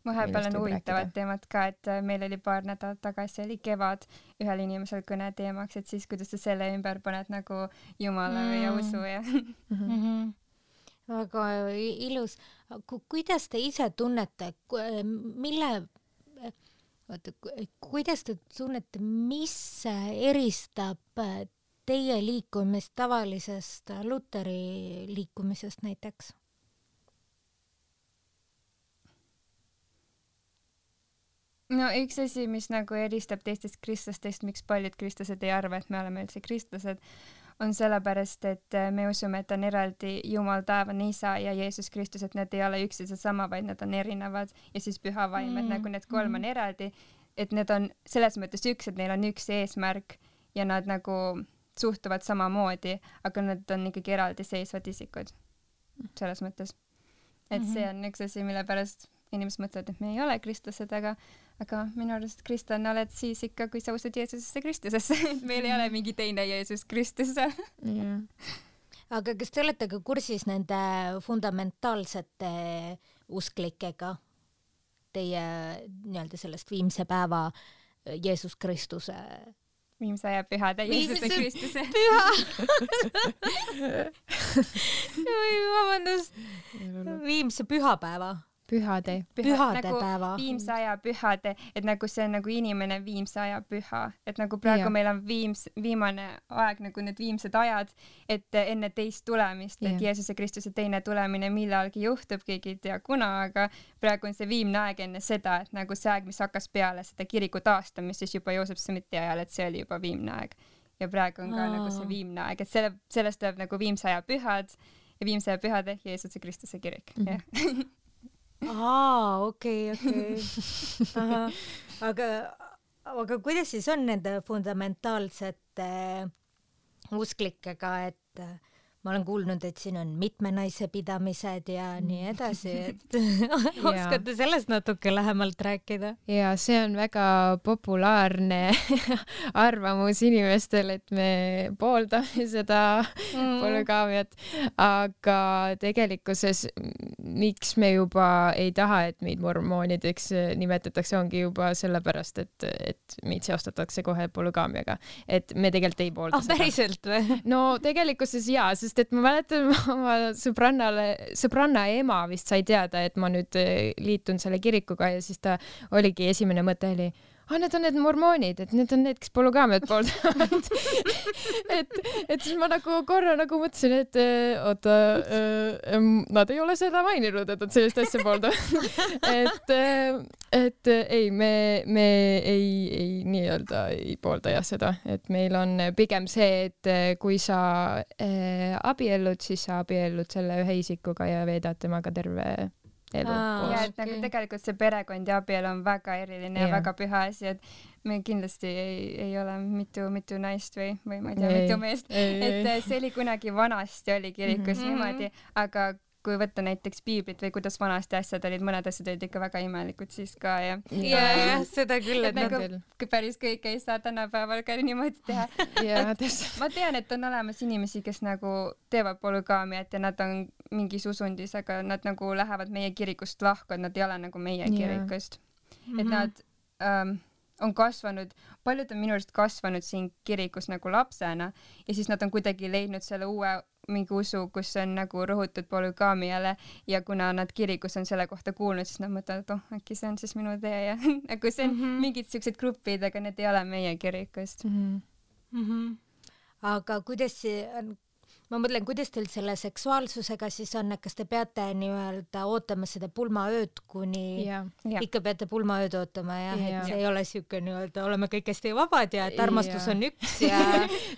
Vahepeal on huvitavad teemad ka, et meil oli paar nädalat tagasi oli kevad ühel inimesel kõne teemaks, et siis kuidas sa selle ümber paned nagu Jumala mm. ja usu ja mm-hmm. Väga ilus. Kuidas te ise tunnete, mille, kuidas te tunnete, mis eristab teie liikumist tavalisest Luteri liikumisest näiteks? No üks asi, mis nagu eristab teistest kristlastest, miks paljud kristlased ei arva, et me oleme üldse kristlased, on sellepärast, et me usume, et on eraldi Jumal, taevane Isa ja Jeesus Kristus, et need ei ole üks ja sama, vaid need on erinevad ja siis püha vaim, et nagu need kolm on eraldi, et need on selles mõttes üks, et neil on üks eesmärk ja nad nagu suhtuvad samamoodi, aga nad on ikkagi eraldiseisvad isikud selles mõttes. Et see on üks asi, mille pärast inimesed mõtlevad, et me ei ole kristlased, aga, aga minu arust kristlane oled siis ikka, kui sa usud Jeesusesse Kristusesse. Meil ei ole mingi teine Jeesus Kristus. Yeah. Aga kas te olete ka kursis nende fundamentaalsete usklikega teie nii-öelda sellest viimse päeva Jeesus Kristuse viimse aja pühade Jeesuse Kristuse püha vabandust viimse pühapäeva pühade pühade nagu päeva viimse aja pühade, et nagu see on nagu inimene viimse aja püha, et nagu praegu ja. Meil on viims, viimane aeg nagu need viimsed ajad, et enne teist tulemist, et ja. Jeesuse Kristuse teine tulemine millalgi juhtub, keegi ei tea kuna, aga praegu on see viimne aeg enne seda, et nagu see aeg, mis hakkas peale seda kiriku taastamist, siis juba Joosep Smiti ajal, et see oli juba viimne aeg ja praegu on ka Aa. Nagu see viimne aeg, et selle, sellest tuleb nagu viimse aja pühad ja viimse aja pühade Jeesuse Kristuse kirik mm-hmm. ja aa, okei, okei. Aga, aga kuidas siis on nende fundamentaalsete usklikega, et ma olen kuulnud, et siin on mitme naise pidamised ja nii edasi, et oskate sellest natuke lähemalt rääkida? Ja see on väga populaarne arvamus inimestel, et me pooldame seda mm. polügaamiat, aga tegelikkuses miks me juba ei taha, et meid mormoonideks nimetatakse, ongi juba sellepärast, et, et meid seostatakse kohe polügaamiaga. Et me tegelikult ei poolda oh, seda. Päriselt või? No tegelikkuses jaa, sest et ma mäletan oma sõbrannale, sõbranna ema vist sai teada, et ma nüüd liitun selle kirikuga ja siis ta oligi esimene mõte oli, ah, need on need mormoonid, et need on need, kes polügaamiat pooldavad. et, et siis ma nagu korra nagu mõtlesin, et oota, nad ei ole seda maininud, et nad sellist asja pooldavad. et, et ei, me, me ei, ei nii-öelda ei poolda jah seda, et meil on pigem see, et kui sa abiellud, siis sa abiellud selle ühe isikuga ja veedad temaga terve elu. Aa, ja et nagu tegelikult see perekond ja abielu on väga eriline ja, ja väga püha asi, et me kindlasti ei, ei ole mitu, mitu naist või, või ma ei tea, mitu meest. Et see oli kunagi vanasti oli kirikus mm-hmm. niimoodi, aga kui võtta näiteks piiblit või kuidas vanasti asjad olid, mõned asjad olid ikka väga imelikud siis ka ja ja, ja seda küll, et, et nagu kui päris kõik ei saa tänapäeval ka niimoodi teha. ja, ma tean, et on olemas inimesi, kes nagu teevad polügaamiat ja nad on mingis usundis, aga nad nagu lähevad meie kirikust lahku, et nad ei ole nagu meie kirikust. Mm-hmm. Et nad ähm, on kasvanud, paljud on minu arust kasvanud siin kirikus nagu lapsena ja siis nad on kuidagi leidnud selle uue mingi usu, kus on nagu rõhutud polügaamiale ja kuna nad kirikus on selle kohta kuulnud, siis nad mõtlevad, et oh, äkki see on siis minu tee ja nagu see on mm-hmm. mingid siuksed grupid, aga need ei ole meie kirikust. Mm-hmm. Mm-hmm. Aga kuidas see on, ma mõtlen, kuidas teil selle seksuaalsusega siis on, kas te peate nii-öelda ootama seda pulmaööd, kuni ja. Ikka peate pulmaööd ootama jah, ja. Et see ei ole siuke nii-öelda, oleme kõik hästi vabad ja et armastus ja. On üks ja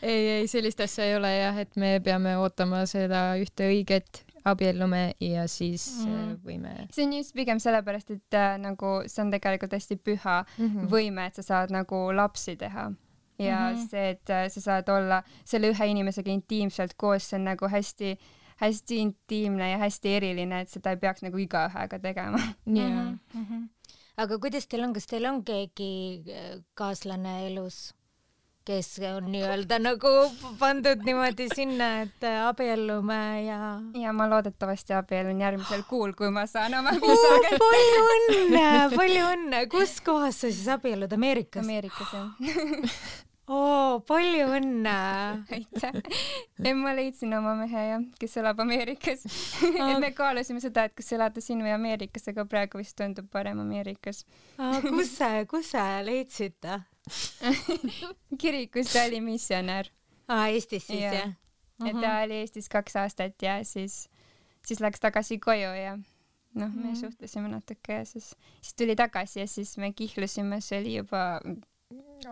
ei, ei, sellist asja ei ole jah, et me peame ootama seda ühte õiget abiellume ja siis mm. võime. See on just pigem sellepärast, et äh, nagu see on tegelikult hästi püha mm-hmm. võime, et sa saad nagu lapsi teha. Ja mm-hmm. see, et sa saad olla selle ühe inimesega intiimselt koos, see on nagu hästi hästi intiimne ja hästi eriline, et seda ei peaks nagu igaühega tegema. Yeah. Mm -hmm. Aga kuidas teil on, kas teil on keegi kaaslane elus, kes on nii-öelda nagu pandud niimoodi sinna, et abiellume ja... Ja ma loodetavasti abiellun järgmisel kuul, kui ma saan oma viisaga. Oh, palju õnne, palju õnne. Kus kohas sa siis abiellud? Ameerikas? Ameerikas, jah. Oo, palju õnne. Aitäh. Ja ma leidsin oma mehe, jah, kes elab Ameerikas. Et me kaalusime seda, et kas elada siin või Ameerikas, aga praegu vist tundub parem Ameerikas. Kus sa, kus sa leidsid ta? Kirikus ta oli missionär. Aa, Eestis siis, jah? jah? Et ta oli Eestis kaks aastat ja siis, siis läks tagasi koju ja noh, me suhtlesime natuke ja siis, siis tuli tagasi ja siis me kihlusime, see oli juba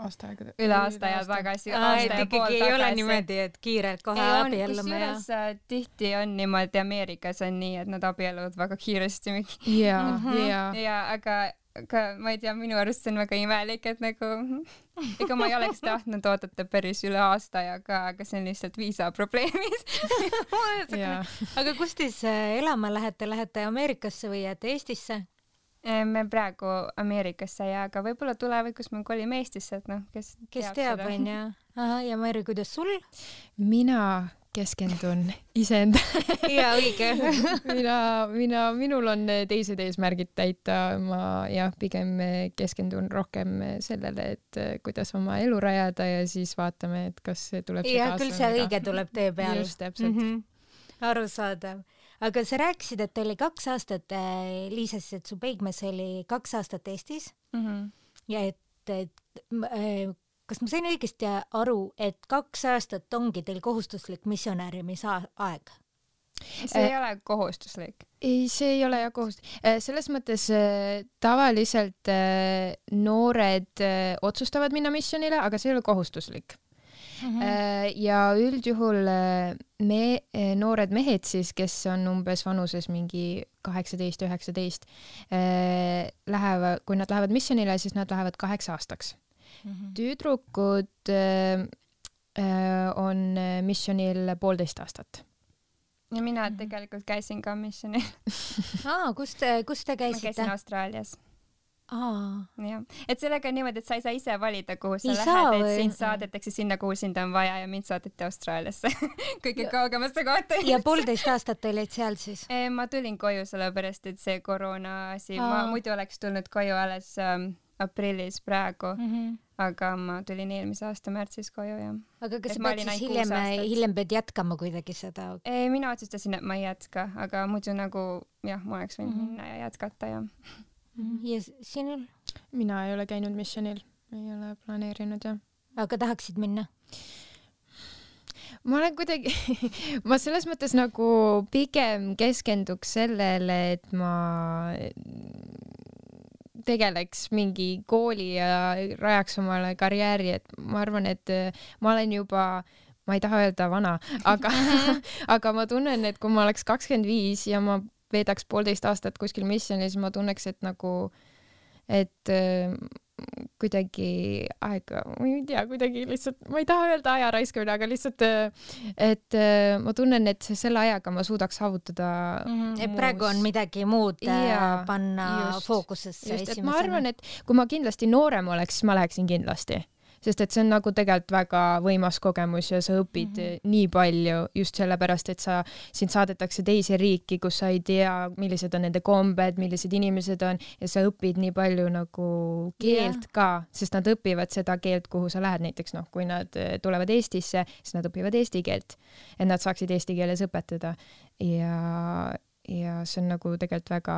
aasta aega üle aasta ja tagasi. Aa, et ikkagi ei ole niimoodi, et kiirelt kohe abiellume ja... Kusjuures tihti on niimoodi, Ameerikas on nii, et nad abielluvad väga kiiresti. Ja, ja. Ja, aga aga ma ei tea, minu arust see on väga imelik, et nagu ega ma ei oleks tahtnud oodata päris üle aasta ja ka, aga see on lihtsalt viisa probleemid. Aga kus te elama lähete? Lähete Ameerikasse või jääte Eestisse? Me praegu Ameerikasse ja aga võib-olla tulevikus me kolime Eestisse, et noh, kes, kes teab, teab on ja. Aha, ja Mari, kuidas sul? Mina keskendun iseenda. Ja õige. mina, mina, minul on teised eesmärgid täita. Ma jah, pigem keskendun rohkem sellele, et kuidas oma elu rajada ja siis vaatame, et kas tuleb see ja, kaasa. Ja küll see õige tuleb tee peal. Just, täpselt. Mm -hmm. Arusaadav. Aga sa rääkisid, et oli kaks aastat, Liisa siis, et su peigmees oli kaks aastat Eestis mm -hmm. ja et, et kas ma sain õigesti aru, et kaks aastat ongi teil kohustuslik missionäärimise aeg? See ei äh, ole kohustuslik. Ei, see ei ole jah kohustuslik. Selles mõttes tavaliselt noored otsustavad minna missionile, aga see ei ole kohustuslik. Mm -hmm. Ja üldjuhul me, noored mehed siis, kes on umbes vanuses mingi kaheksateist üheksateist, lähevad, kui nad lähevad missionile, siis nad lähevad kaheks aastaks. Mm -hmm. Tüdrukud on missionil poolteist aastat. Ja mina tegelikult käisin ka missionil. Aa, kus te, kus te käisite? Ma käisin Austraalias. Aa. Ja. Et sellega on niimoodi, et sa ei saa ise valida, kuhu sa ei lähed, et sind saadetakse sinna, kuhu sind on vaja ja mind saadeti Austraaliasse kõige kaugemasse kohta. Ja poolteist aastat olid seal siis? E, ma tulin koju sellepärast, et see koroona asi, ma muidu oleks tulnud koju alles ähm, aprillis praegu, mm -hmm. aga ma tulin eelmise aasta märtsis koju ja. Aga kas sa pead siis hiljem, hiljem pead jätkama kuidagi seda? E, mina otsustasin, et ma ei jätka, aga muidu nagu jah, ma oleks võinud mm -hmm. minna ja jätkata ja ja sinul? Mina ei ole käinud missionil, ei ole planeerinud jah. Aga tahaksid minna? Ma olen kuidagi, ma selles mõttes nagu pigem keskenduks sellele, et ma tegeleks mingi kooli ja rajaks omale karjääri, et ma arvan, et ma olen juba, ma ei taha öelda vana, aga, aga ma tunnen, et kui ma oleks kakskümmend viis ja ma veedaks poolteist aastat kuskil missionis, siis ma tunneks, et nagu, et äh, kuidagi aega, ma ei tea, kuidagi lihtsalt, ma ei taha öelda aja raiskamine, aga lihtsalt, et äh, ma tunnen, et selle ajaga ma suudaks saavutada mm -hmm. et praegu on midagi muud ja, panna just, fookusesse just, esimesena. Ma arvan, et kui ma kindlasti noorem oleks, siis ma läheksin kindlasti. Sest et see on nagu tegelikult väga võimas kogemus ja sa õpid mm -hmm. nii palju just sellepärast, et sa, sind saadetakse teise riiki, kus sa ei tea, millised on nende kombed, millised inimesed on ja sa õpid nii palju nagu keelt yeah. ka, sest nad õpivad seda keelt, kuhu sa lähed. Näiteks noh, kui nad tulevad Eestisse, siis nad õpivad eesti keelt, et nad saaksid eesti keeles õpetada ja ja see on nagu tegelikult väga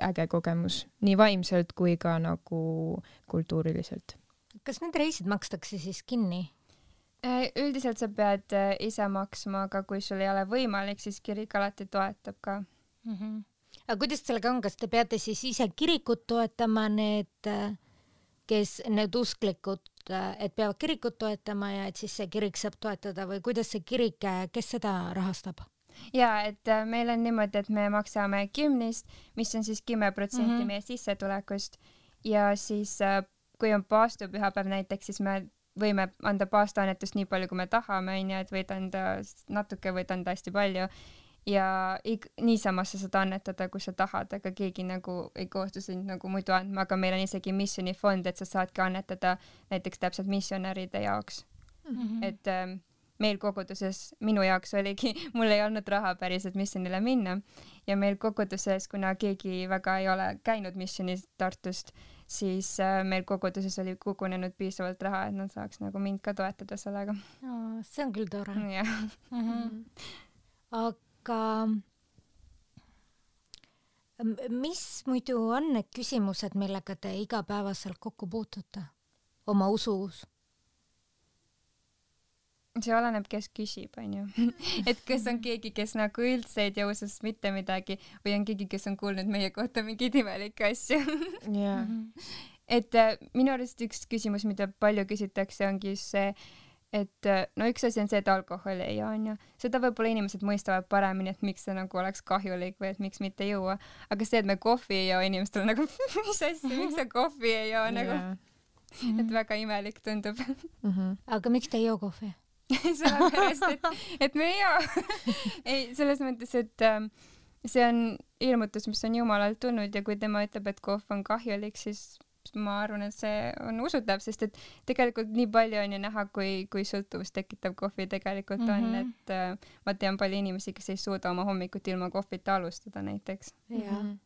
äge kogemus, nii vaimselt kui ka nagu kultuuriliselt. Kas need reisid makstakse siis kinni? Üldiselt sa pead ise maksma, aga kui sul ei ole võimalik, siis kirik alati toetab ka. Mm -hmm. Aga kuidas sellega on, kas te peate siis ise kirikut toetama, need, kes, need usklikud, et peavad kirikut toetama ja et siis see kirik saab toetada või kuidas see kirik, kes seda rahastab? Ja, et meil on niimoodi, et me maksame kümnist, mis on siis kümme protsenti mm -hmm. meie sissetulekust ja siis kui on paastupühapäev näiteks, siis me võime anda paastaannetust nii palju, kui me tahame, onju, et võid anda natuke, võid anda hästi palju ja ik- niisamas sa saad annetada, kui sa tahad, aga keegi nagu ei kohustu sind nagu muidu andma, aga meil on isegi missionifond, et sa saadki annetada näiteks täpselt missionäride jaoks. Mm-hmm. Et ähm, meil koguduses, minu jaoks oligi, mul ei olnud raha päriselt missionile minna ja meil koguduses, kuna keegi väga ei ole käinud missionis Tartust, siis äh, meil koguduses oli kogunenud piisavalt raha, et nad saaks nagu mind ka toetada sellega. Oh, see on küll tore. Yeah. Mm-hmm. Aga mis muidu on need küsimused, millega te igapäevaselt kokku puutute oma usus? See oleneb, kes küsib, on ju. Et kes on keegi, kes nagu üldse ei tea usust mitte midagi või on keegi, kes on kuulnud meie kohta mingeid imelikke asju. Yeah. Et äh, minu arust üks küsimus, mida palju küsitakse, ongi see, et äh, no üks asi on see, et alkoholi ei joo, on ju. Seda võib-olla inimesed mõistavad paremini, et miks see nagu oleks kahjulik või et miks mitte juua. Aga see, et me kohvi ei joo, inimestel on nagu, mis asja, miks sa kohvi ei joo, nagu. Yeah. Et väga imelik tundub. Mm-hmm. Aga miks te ei joo kohvi? Sellepärast, et, et me ei joo. Ei, selles mõttes, et ähm, see on ilmutus, mis on Jumalalt tulnud ja kui tema ütleb, et kohv on kahjulik, siis ma arvan, et see on usutav, sest et tegelikult nii palju on ju näha, kui, kui sõltuvust tekitav kohvi tegelikult on, mm-hmm. et äh, ma tean palju inimesi, kes ei suuda oma hommikut ilma kohvita alustada näiteks. Jah. Mm-hmm.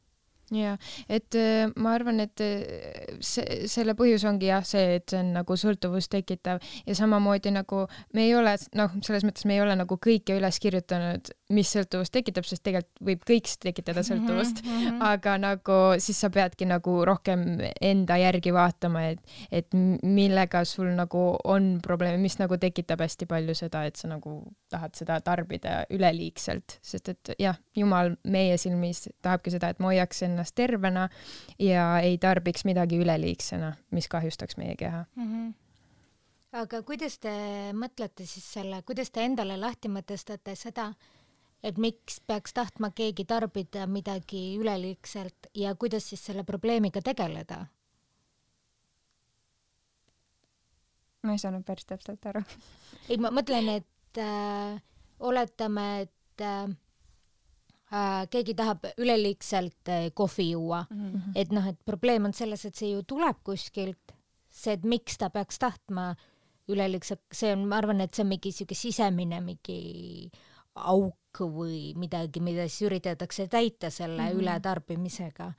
Ja, et äh, ma arvan, et see, selle põhjus ongi jah see, et see on nagu sõltuvust tekitav ja samamoodi nagu me ei ole, noh, selles mõttes me ei ole nagu kõike üles kirjutanud, mis sõltuvust tekitab, sest tegelikult võib kõik tekitada sõltuvust, mm-hmm. aga nagu siis sa peadki nagu rohkem enda järgi vaatama, et, et millega sul nagu on probleeme, mis nagu tekitab hästi palju seda, et sa nagu tahad seda tarbida üleliigselt, sest et jah, Jumal meie silmis tahabki seda, et ma hoiaks ennast tervena ja ei tarbiks midagi üleliigsena, mis kahjustaks meie keha. Mm-hmm. Aga kuidas te mõtlete siis selle, kuidas te endale lahti mõtestate seda, et miks peaks tahtma keegi tarbida midagi üleliigselt ja kuidas siis selle probleemiga tegeleda? Ma ei saanud päris täpselt aru. Ei, ma mõtlen, et äh, oletame, et äh, keegi tahab üleliigselt kohvi juua, mm-hmm. et noh, et probleem on selles, et see ju tuleb kuskilt, see, et miks ta peaks tahtma üleliigselt, see on, ma arvan, et see on mingi siuke sisemine mingi auk või midagi, mida siis üritatakse täita selle mm-hmm. ületarbimisega.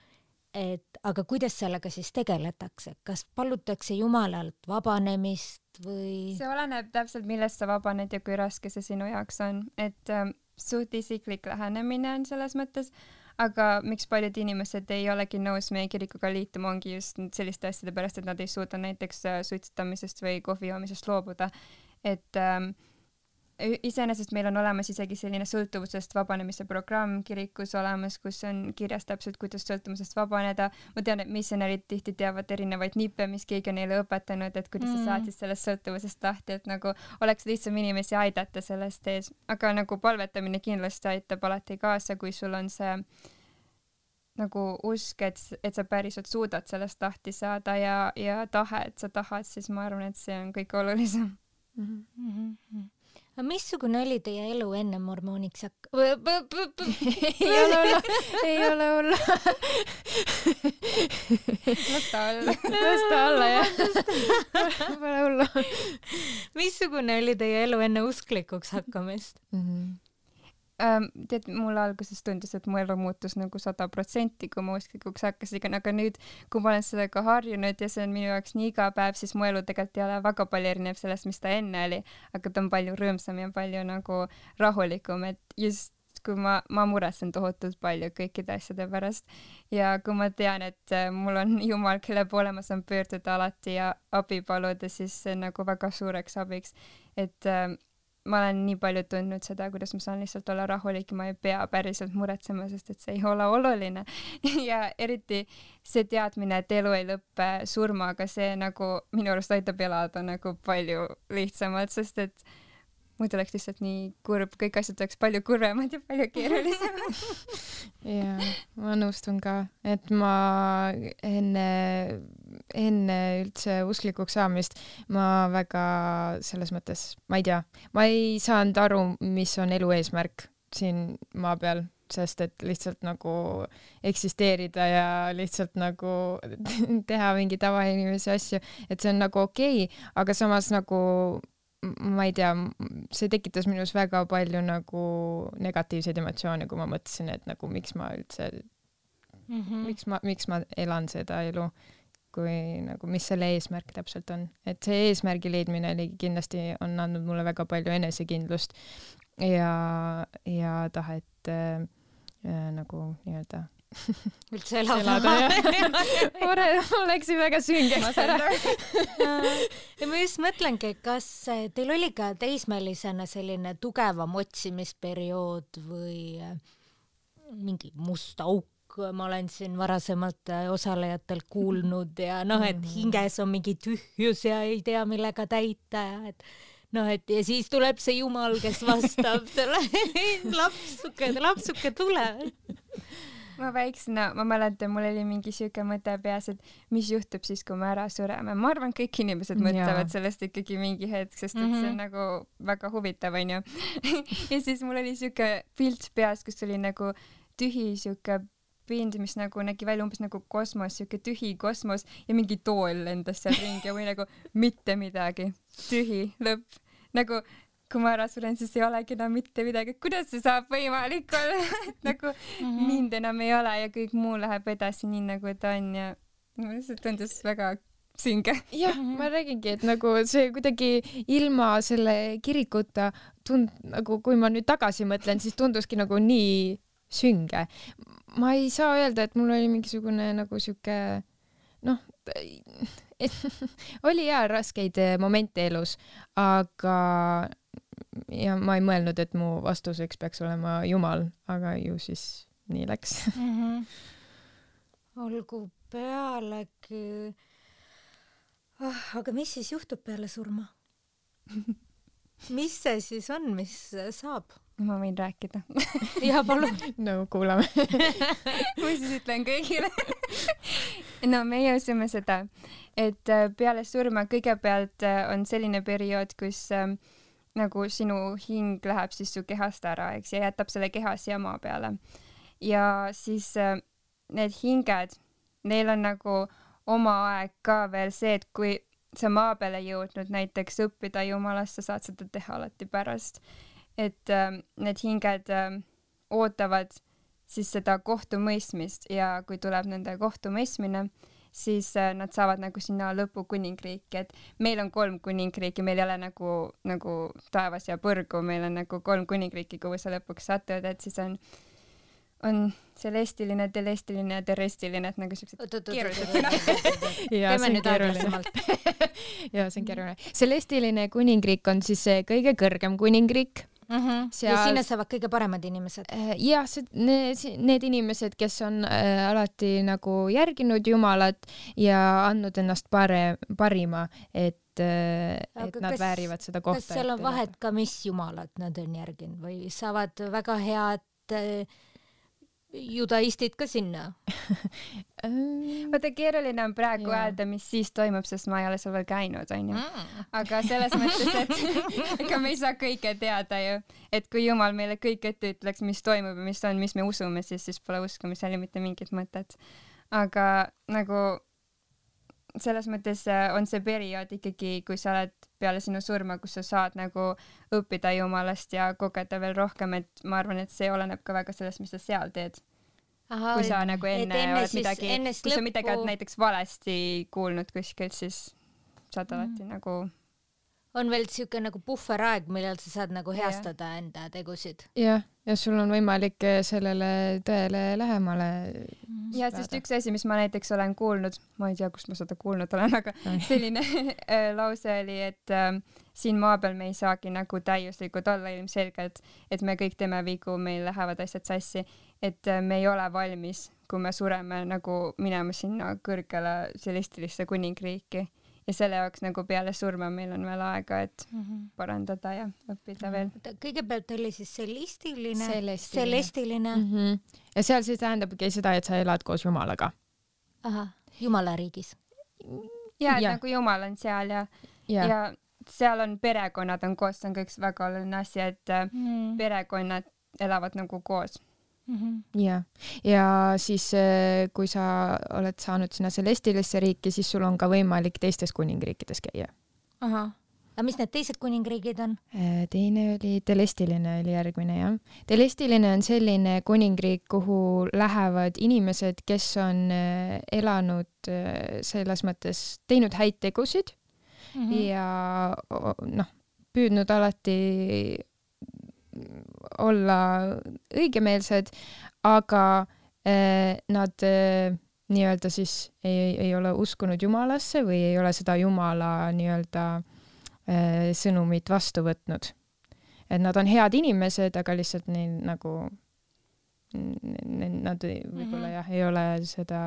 Et, aga kuidas sellega siis tegeletakse? Kas palutakse Jumalalt vabanemist või? See oleneb täpselt, millest sa vabaned ja kui raske see sinu jaoks on, et ähm, suht isiklik lähenemine on selles mõttes, aga miks paljud inimesed ei olegi nõus meie kirikuga liituma, ongi just selliste asjade pärast, et nad ei suuda näiteks suitsetamisest või kohvi joomisest loobuda. Et ähm, iseenesest meil on olemas isegi selline sõltuvusest vabanemise programm kirikus olemas, kus on kirjas täpselt, kuidas sõltuvusest vabaneda. Ma tean, et missionärid tihti teavad erinevaid nippe, mis keegi on neile õpetanud, et kuidas mm. sa saad siis sellest sõltuvusest lahti, et nagu oleks lihtsam inimesi aidata sellest ees. Aga nagu palvetamine kindlasti aitab alati kaasa, kui sul on see nagu usk, et, et sa päriselt suudad sellest lahti saada ja, ja tahe, et sa tahad, siis ma arvan, et see on kõige olulisem. Mm-hmm. Aga missugune oli teie elu enne mormooniks hakk-? ei ole olla, ei ole olla. Lasta alla. Lasta alla, jah. Pole hullu. Missugune oli teie elu enne usklikuks hakkamist? Mm-hmm. Ähm, tead, mulle alguses tundus, et mu elu muutus nagu sada protsenti, kui ma usklikuks hakkasin, aga nüüd, kui ma olen sellega harjunud ja see on minu jaoks nii iga päev, siis mu elu tegelikult ei ole väga palju erinev sellest, mis ta enne oli, aga ta on palju rõõmsam ja palju nagu rahulikum, et just kui ma, ma muretsen tohutult palju kõikide asjade pärast ja kui ma tean, et mul on Jumal, kelle poole ma saan pöörduda alati ja abi paluda, siis see on nagu väga suureks abiks, et äh, ma olen nii palju tundnud seda, kuidas ma saan lihtsalt olla rahulik ja ma ei pea päriselt muretsema, sest et see ei ole oluline. Ja eriti see teadmine, et elu ei lõppe surmaga, see nagu minu arust aitab elada nagu palju lihtsamalt, sest et muidu oleks lihtsalt nii kurb, kõik asjad oleks palju kurvemad ja palju keerulisemad. Jaa, ma nõustun ka, et ma enne enne üldse usklikuks saamist ma väga selles mõttes, ma ei tea, ma ei saanud aru, mis on elu eesmärk siin maa peal, sest et lihtsalt nagu eksisteerida ja lihtsalt nagu teha mingi tavainimese asju, et see on nagu okei okay,, aga samas nagu ma ei tea, see tekitas minus väga palju nagu negatiivseid emotsioone, kui ma mõtlesin, et nagu miks ma üldse mm -hmm. miks ma, miks ma elan seda elu, kui nagu, mis selle eesmärk täpselt on. Et see eesmärgi leidmine oli kindlasti on andnud mulle väga palju enesekindlust ja, ja tahet äh, äh, nagu nii-öelda üldse elada. Oleksin väga sünge. Ja ma just mõtlengi, kas teil oli ka teismelisena selline tugevam otsimisperiood või mingi must auk, ma olen siin varasemalt osalejatelt kuulnud ja noh, et hinges on mingi tühjus ja ei tea, millega täita ja et noh, et ja siis tuleb see Jumal, kes vastab selle lapsuke, lapsuke tule. Ma väiksena, ma mäletan, mul oli mingi siuke mõte peas, et mis juhtub siis, kui me ära sureme. Ma arvan, kõik inimesed mõtlevad ja. Sellest ikkagi mingi hetk, sest et see on nagu väga huvitav, on ju. Ja siis mul oli siuke pilt peas, kus oli nagu tühi siuke pind, mis nagu nägi välja umbes nagu kosmos, siuke tühi kosmos ja mingi tool lendas seal ringi ja või nagu mitte midagi. Tühi, lõpp. Nagu kui ma ära suren, siis ei olegi enam mitte midagi. Kuidas see saab võimalik olla? Nagu mm-hmm. mind enam ei ole ja kõik muu läheb edasi nii nagu ta on ja see tundus väga sünge. Jah, ma räägingi, et nagu see kuidagi ilma selle kirikuta tund, nagu kui ma nüüd tagasi mõtlen, siis tunduski nagu nii sünge. Ma ei saa öelda, et mul oli mingisugune nagu siuke noh, oli hea raskeid momente elus, aga ja ma ei mõelnud, et mu vastuseks peaks olema Jumal, aga ju siis nii läks. Mm-hmm. Olgu pealegi. Oh, aga mis siis juhtub peale surma? Mis see siis on, mis saab? Ma võin rääkida. Ja palun. No kuulame. Ma siis ütlen kõigile. No meie usume seda, et peale surma kõigepealt on selline periood, kus nagu sinu hing läheb siis su kehast ära, eks, ja jätab selle keha siia maa peale. Ja siis need hinged, neil on nagu oma aeg ka veel see, et kui sa maa peale jõudnud näiteks õppida Jumalast, sa saad seda teha alati pärast. Et äh, need hinged äh, ootavad siis seda kohtumõistmist ja kui tuleb nende kohtumõistmine, siis äh, nad saavad nagu sinna lõpu kuningriiki, et meil on kolm kuningriiki, meil ei ole nagu, nagu taevas ja põrgu, meil on nagu kolm kuningriiki, kuhu sa lõpuks satud, et siis on, on celestiline, telestiline ja terrestiline, et nagu siuksed keerulised sõnad. Teeme nüüd aeglasemalt. Ja see on keeruline. Celestiline kuningriik on siis see kõige kõrgem kuningriik. Mm-hmm. Seal... Ja sinna saavad kõige paremad inimesed. Ja see, need, need inimesed, kes on äh, alati nagu järginud Jumalat ja andnud ennast pare, parima, et, äh, et nad kas, väärivad seda kohta. Kas seal on vahet ka, mis Jumalat nad on järginud või saavad väga head äh, judaistid ka sinna? Vaata, keeruline on praegu yeah. öelda, mis siis toimub, sest ma ei ole seal veel käinud, on ju. Mm. Aga selles mõttes, et ega me ei saa kõike teada ju. Et kui Jumal meile kõik ette ütleks, mis toimub ja mis on, mis me usume, siis, siis pole uskumisel ju mitte mingit mõtet. Aga nagu selles mõttes on see periood ikkagi, kui sa oled peale sinu surma, kus sa saad nagu õppida Jumalast ja kogeda veel rohkem, et ma arvan, et see oleneb ka väga sellest, mis sa seal teed. Aha, kui sa nagu enne, enne oled siis, midagi, kui sa midagi oled näiteks valesti kuulnud kuskilt, siis saad alati mm. nagu... On veel siuke nagu puhveraeg, millal sa saad nagu heastada yeah. enda tegusid. Jah, ja sul on võimalik sellele tõele lähemale mm. Ja sest üks asi, mis ma näiteks olen kuulnud, ma ei tea, kust ma seda kuulnud olen, aga selline lause oli, et äh, siin maa peal me ei saagi nagu täiuslikud olla ilmselgelt, et me kõik teeme vigu, meil lähevad asjad sassi, et äh, me ei ole valmis, kui me sureme nagu minema sinna kõrgele celestilisse kuningriiki. Ja selle jaoks nagu peale surma meil on veel aega, et mm-hmm. parandada ja õppida veel. Kõigepealt oli siis celestiline. Celestiline. celestiline. Mm-hmm. Ja seal siis tähendabki seda, et sa elad koos Jumalaga. Aha, Jumala riigis. ja, et Ja. nagu Jumal on seal ja, ja. ja seal on perekonnad on koos, see on ka üks väga oluline asi, et mm. perekonnad elavad nagu koos. Mm-hmm. ja, ja siis kui sa oled saanud sinna Celestilisse riiki, siis sul on ka võimalik teistes kuningriikides käia. Ahah. Aga mis need teised kuningriigid on? Teine oli Telestiline oli järgmine, jah. Telestiline on selline kuningriik, kuhu lähevad inimesed, kes on elanud selles mõttes, teinud häid tegusid mm-hmm. ja noh, püüdnud alati olla õigemeelsed, aga eh, nad eh, nii-öelda siis ei, ei ole uskunud Jumalasse või ei ole seda Jumala nii-öelda sõnumit vastu võtnud. Et nad on head inimesed, aga lihtsalt neil nagu nad võib-olla mm-hmm. jah, ei ole seda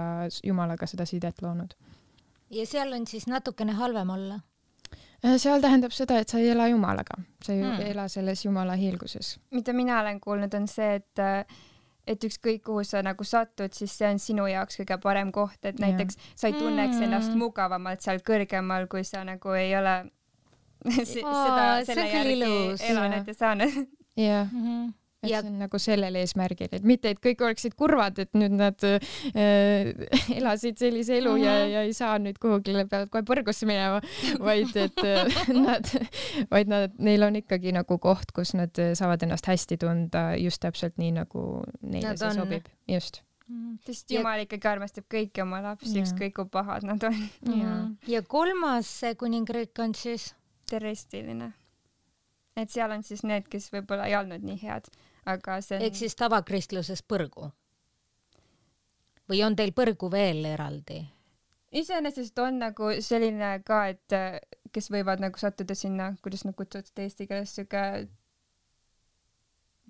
Jumalaga seda sidet loonud. Ja seal on siis natukene halvem olla? Seal tähendab seda, et sa ei ela Jumalaga. Sa ei hmm. ela selles Jumala hiilguses. Mida mina olen kuulnud on see, et et ükskõik kuhu sa nagu satud, siis see on sinu jaoks kõige parem koht, et näiteks ja. Sa ei tunneks mm. ennast mugavamalt seal kõrgemal, kui sa nagu ei ole S- Aa, seda selle järgi elanud ja saanud. Jah, mm-hmm. et ja. See on nagu sellel eesmärgil, et mitte, et kõik oleksid kurvad, et nüüd nad äh, elasid sellise elu mm-hmm. ja, ja ei saa nüüd kuhugile peavad kohe põrgusse minema, vaid et nad, vaid nad, neil on ikkagi nagu koht, kus nad saavad ennast hästi tunda just täpselt nii, nagu neile nad see on. Sobib. Just. Mm-hmm. Sest Jumal ikkagi armastab kõiki oma lapsi, ükskõik kui pahad nad on. Mm-hmm. Ja kolmas kuningriik on siis Telestiline. Et seal on siis need, kes võib-olla ei olnud nii head, aga see on... Ehk siis tavakristluses põrgu? Või on teil põrgu veel eraldi? Iseenesest on nagu selline ka, et kes võivad nagu sattuda sinna, kuidas nad kutsuvad seda eesti keeles, süge...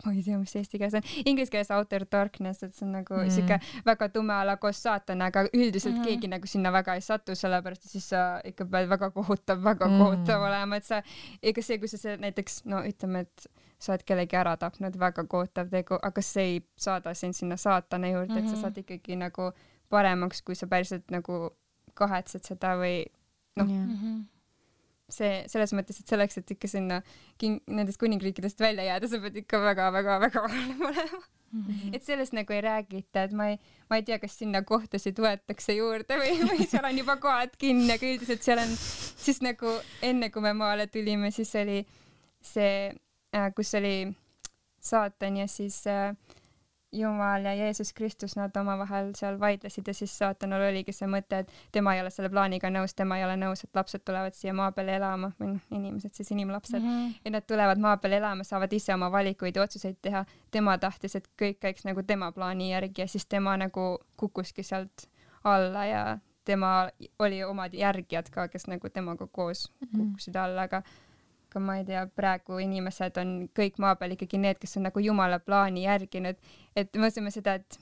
ma ei tea, mis eesti keeles on. Inglis keeles outer darkness, et see on nagu mm. siuke väga tume ala koos saatana, aga üldiselt mm. keegi nagu sinna väga ei satu, sellepärast siis sa ikka pead väga kohutav, väga mm. kohutav olema, et sa, ega see, kui sa see näiteks, no ütleme, et sa oled kellegi ära tapnud, väga kohutav tegu, aga see ei saada sind sinna saatana juurde, mm-hmm. et sa saad ikkagi nagu paremaks, kui sa päriselt nagu kahetsed seda või noh, yeah. mm-hmm. see selles mõttes, et selleks, et ikka sinna king, nendest kuningriikidest välja jääda, sa pead ikka väga-väga-väga valem olema. Mm-hmm. Et sellest nagu ei räägita, et ma ei, ma ei tea, kas sinna kohtasid võetakse juurde või, või seal on juba kohad kinni, aga üldiselt seal on siis nagu enne, kui me maale tulime, siis oli see, kus oli saatan ja siis Jumal ja Jeesus Kristus, nad omavahel seal vaidlesid ja siis saatanul oligi see mõte, et tema ei ole selle plaaniga nõus, tema ei ole nõus, et lapsed tulevad siia maa peale elama, või noh, inimesed, siis inimlapsed, mm-hmm. ja nad tulevad maa peale elama, saavad ise oma valikuid ja otsuseid teha. Tema tahtis, et kõik käiks nagu tema plaani järgi ja siis tema nagu kukkuski sealt alla ja tema oli omad järgijad ka, kes nagu temaga koos kukkusid alla, aga aga ma ei tea, praegu inimesed on kõik maa peal ikkagi need, kes on nagu Jumala plaani järginud, et me mõtleme seda, et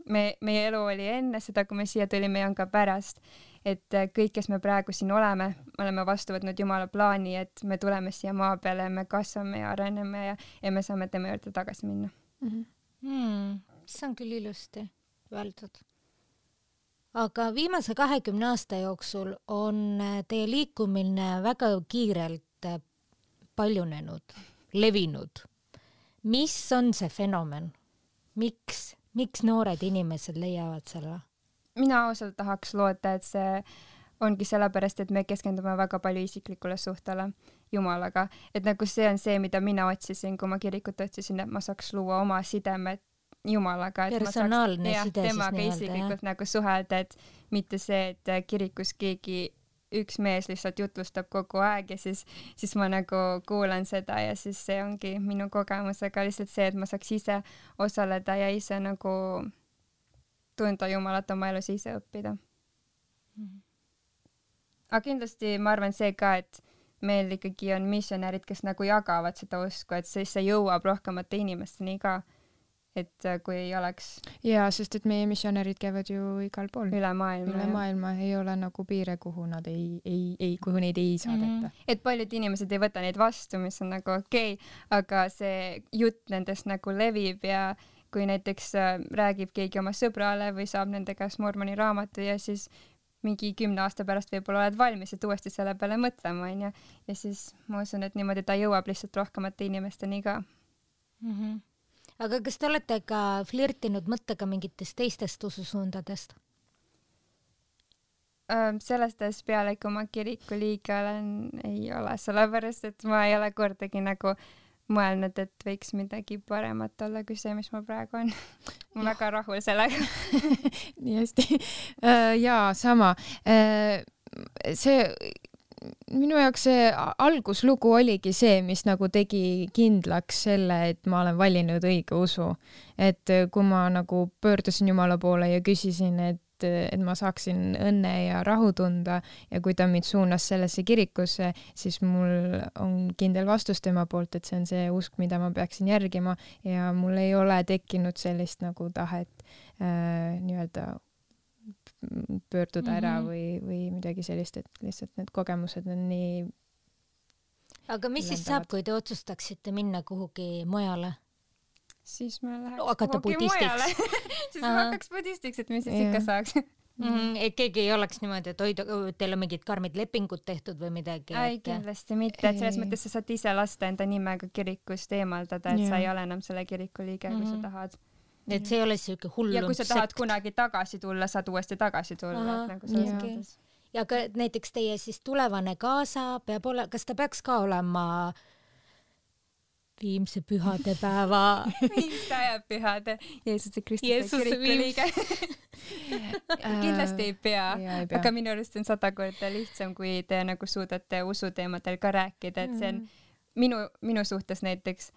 me, meie elu oli enne seda, kui me siia tulime ja on ka pärast, et kõik, kes me praegu siin oleme, me oleme vastu võtnud Jumala plaani, et me tuleme siia maa peale, me kasvame ja areneme ja, ja me saame tema juurde tagasi minna. Mm-hmm. Hmm, see on küll ilusti öeldud. Aga viimase kahekümne aasta jooksul on teie liikumine väga kiirelt paljunenud, levinud. Mis on see fenomen? Miks, miks noored inimesed leiavad selle? Mina ausalt tahaks loota, et see ongi sellepärast, et me keskendume väga palju isiklikule suhtele Jumalaga. Et nagu see on see, mida mina otsisin, kui ma kirikut otsisin, et ma saaks luua oma sidemed Jumalaga. Et personaalne ma saaks, side jah, temaga siis isiklikult jah. Nagu suhelda, et mitte see, et kirikus keegi üks mees lihtsalt jutlustab kogu aeg ja siis, siis ma nagu kuulan seda ja siis see ongi minu kogemus, aga lihtsalt see, et ma saaks ise osaleda ja ise nagu tunda Jumalat oma elus ise õppida. Mm-hmm. Aga kindlasti ma arvan see ka, et meil ikkagi on missionärid, kes nagu jagavad seda usku, et siis see jõuab rohkemate inimesteni ka. Et kui ei oleks... Jaa, sest et meie missionärid käivad ju igal pool. Üle maailma. Üle maailma ei ole nagu piire, kuhu nad ei, ei, ei, kuhu neid ei saadeta. Mm-hmm. Et paljud inimesed ei võta neid vastu, mis on nagu okei, okay, aga see jutt nendest nagu levib ja kui näiteks räägib keegi oma sõbrale või saab nende käest mormoni raamatu ja siis mingi kümne aasta pärast võib-olla oled valmis, et uuesti selle peale mõtlema, onju. Ja siis ma usun, et niimoodi ta jõuab lihtsalt rohkemate inimesteni ka. Mm-hmm. Aga kas te olete ka flirtinud mõttega mingitest teistest ususuundadest? Sellest ajast peale, kui ma kiriku liige olen, ei ole, sellepärast, et ma ei ole kordagi nagu mõelnud, et võiks midagi paremat olla kui see, mis ma praegu on. Ma olen väga rahul sellega. Nii hästi. Jaa, sama. See, minu jaoks see alguslugu oligi see, mis nagu tegi kindlaks selle, et ma olen valinud õige usu. Et kui ma nagu pöördusin Jumala poole ja küsisin, et et ma saaksin õnne ja rahu tunda ja kui ta mind suunas sellesse kirikusse, siis mul on kindel vastus tema poolt, et see on see usk, mida ma peaksin järgima ja mul ei ole tekkinud sellist nagu tahet äh, nii-öelda pöörduda ära mm-hmm. või, või midagi sellist, et lihtsalt need kogemused on nii. Aga mis siis saab, kui te otsustaksite minna kuhugi mujale? Siis ma läheks hakata budistiks. siis ma hakkaks budistiks, et mis siis yeah. ikka saaks. Mm-hmm. Et keegi ei oleks niimoodi, et hoida, teil on mingid karmid lepingud tehtud või midagi? Ei, kindlasti mitte, et selles mõttes sa saad ise lasta enda nimega kirikust eemaldada, et yeah. sa ei ole enam selle kiriku liige, kui mm-hmm. sa tahad. Et see ei ole siuke hullum ja kui sa tahad sekt. Kunagi tagasi tulla, saad uuesti tagasi tulla. Et nagu selles okay. mõttes. Ja ka näiteks teie siis tulevane kaasa peab ole, kas ta peaks ka olema viimse pühade päeva viimse aja pühade Jeesuse Kristuse kiriku liige kindlasti ei pea, ei pea, aga minu arust on sada korda lihtsam, kui te nagu suudate usuteemadel ka rääkida, et see on minu, minu suhtes näiteks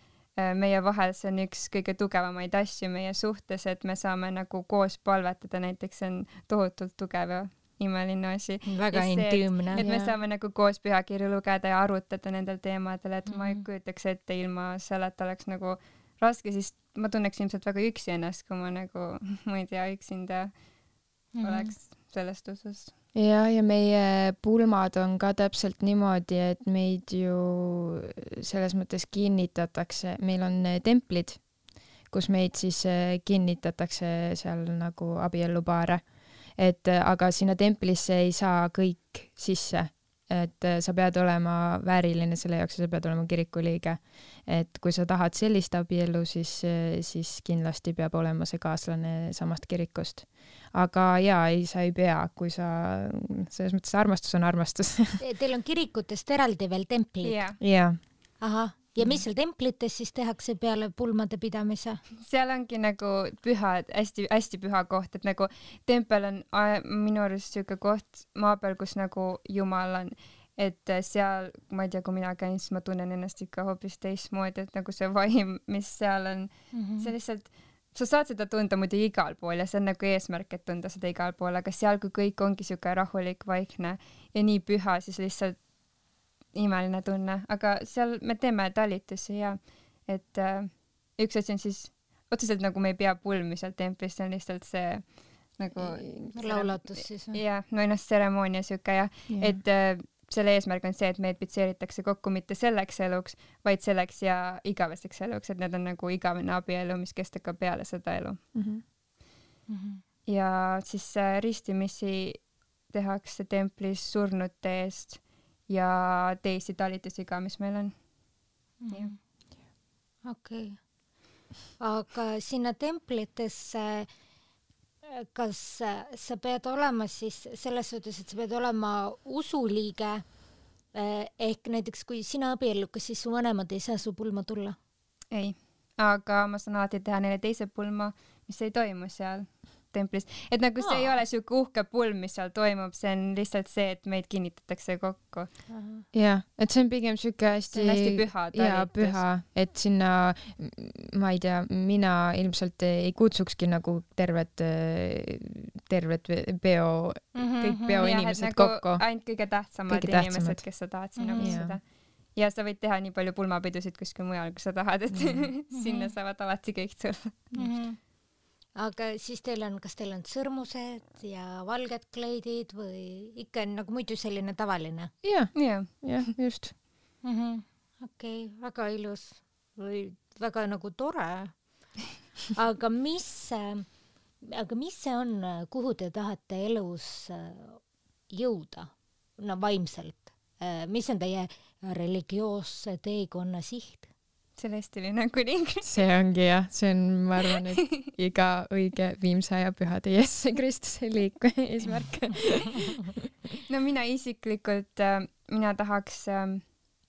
meie vahel, see on üks kõige tugevamaid asju meie suhtes, et me saame nagu koos palvetada, näiteks see on tohutult tugev ja imeline asi. Väga see, intiimne. Et, et me saame nagu koos pühakirju lugeda ja arutada nendel teemadel, et mm-hmm. ma ei kujutaks ette ilma selle, et oleks nagu raske, siis ma tunneks ilmselt väga üksi ennast, kui ma nagu, ma ei tea, üksinda mm-hmm. oleks sellest usust. Ja, ja meie pulmad on ka täpselt niimoodi, et meid ju selles mõttes kinnitatakse, meil on templid, kus meid siis kinnitatakse seal nagu abiellupaare. Et aga sinna templisse ei saa kõik sisse, et sa pead olema vääriline selle jaoks ja sa pead olema kirikuliige. Et kui sa tahad sellist abielu, siis, siis kindlasti peab olema see kaaslane samast kirikust. Aga jaa, ei, sa ei pea, kui sa, selles mõttes armastus on armastus. Teil on kirikutest eraldi veel templid? Jaa. Yeah. Aha. Ja mis seal templites siis tehakse peale pulmade pidamise? Seal ongi nagu püha, hästi, hästi püha koht, et nagu tempel on minu arust siuke koht maa peal, kus nagu Jumal on, et seal, ma ei tea, kui mina käin, siis ma tunnen ennast ikka hoopis teistmoodi, et nagu see vaim, mis seal on, mm-hmm. see lihtsalt, sa saad seda tunda muidu igal pool ja see on nagu eesmärk, et tunda seda igal pool, aga seal, kui kõik ongi siuke rahulik, vaikne ja nii püha, siis lihtsalt imeline tunne, aga seal me teeme talitusi ja et äh, üks asi on siis otseselt nagu me ei pea pulmi seal templis, see on lihtsalt see nagu laulatus siis. jah, no ennast tseremoonia siuke ja yeah. et äh, selle eesmärk on see, et meid pitseeritakse kokku mitte selleks eluks, vaid selleks ja igaveseks eluks, et need on nagu igavene abielu, mis kestab ka peale seda elu. Mm-hmm. Mm-hmm. Ja siis äh, ristimisi tehakse templis surnute eest ja teisi talitusi ka, mis meil on. Mm. Okei. Okay. Aga sinna templitesse, kas sa pead olema siis selles suhtes, et sa pead olema usuliige, ehk näiteks kui sina abiellukas, siis su vanemad ei saa su pulma tulla? Ei, aga ma saan alati teha neile teise pulma, mis ei toimu seal templis. Et nagu see Aa. ei ole siuke uhke pulm, mis seal toimub, see on lihtsalt see, et meid kinnitatakse kokku. Jah, et see on pigem siuke hästi, hästi püha, ja, püha, et sinna, ma ei tea, mina ilmselt ei kutsukski nagu tervet, tervet peo, mm-hmm, kõik peoinimesed nagu kokku. Ainult kõige tähtsamad kõige inimesed, tähtsamad. Kes sa tahad sinna mm-hmm. kutsuda. Ja sa võid teha nii palju pulmapidusid kuskil mujal, kui sa tahad, et mm-hmm. sinna saavad alati kõik tulla. Mm-hmm. Aga siis teil on, kas teil on sõrmused ja valged kleidid või ikka nagu muidu selline tavaline? Jah, jah, jah, just. Mm-hmm. Okei, okay, väga ilus või väga nagu tore. Aga mis, aga mis see on, kuhu te tahate elus jõuda, no vaimselt, mis on teie religioosse teekonna siht? Celestiline kuning. See ongi jah, see on, ma arvan, et iga õige viimse aja pühade Jeesuse Kristuse liik eesmärk. No mina isiklikult, mina tahaks,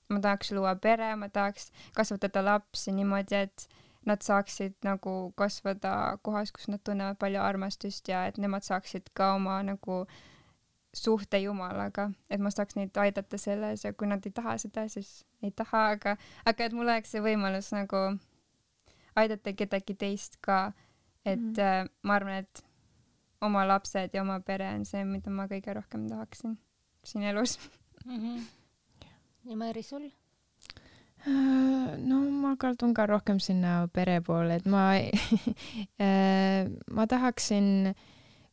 ma tahaks luua pere, ma tahaks kasvatada lapsi niimoodi, et nad saaksid nagu kasvada kohas, kus nad tunnevad palju armastust ja et nemad saaksid ka oma nagu suhte Jumalaga, et ma saaks neid aidata selles ja kui nad ei taha seda, siis ei taha, aga, aga et mul oleks see võimalus nagu aidata kedagi teist ka, et mm. äh, ma arvan, et oma lapsed ja oma pere on see, mida ma kõige rohkem tahaksin siin elus. Mm-hmm. Ja Mari, sul? No ma kaldun ka rohkem sinna pere poole, et ma ma tahaksin,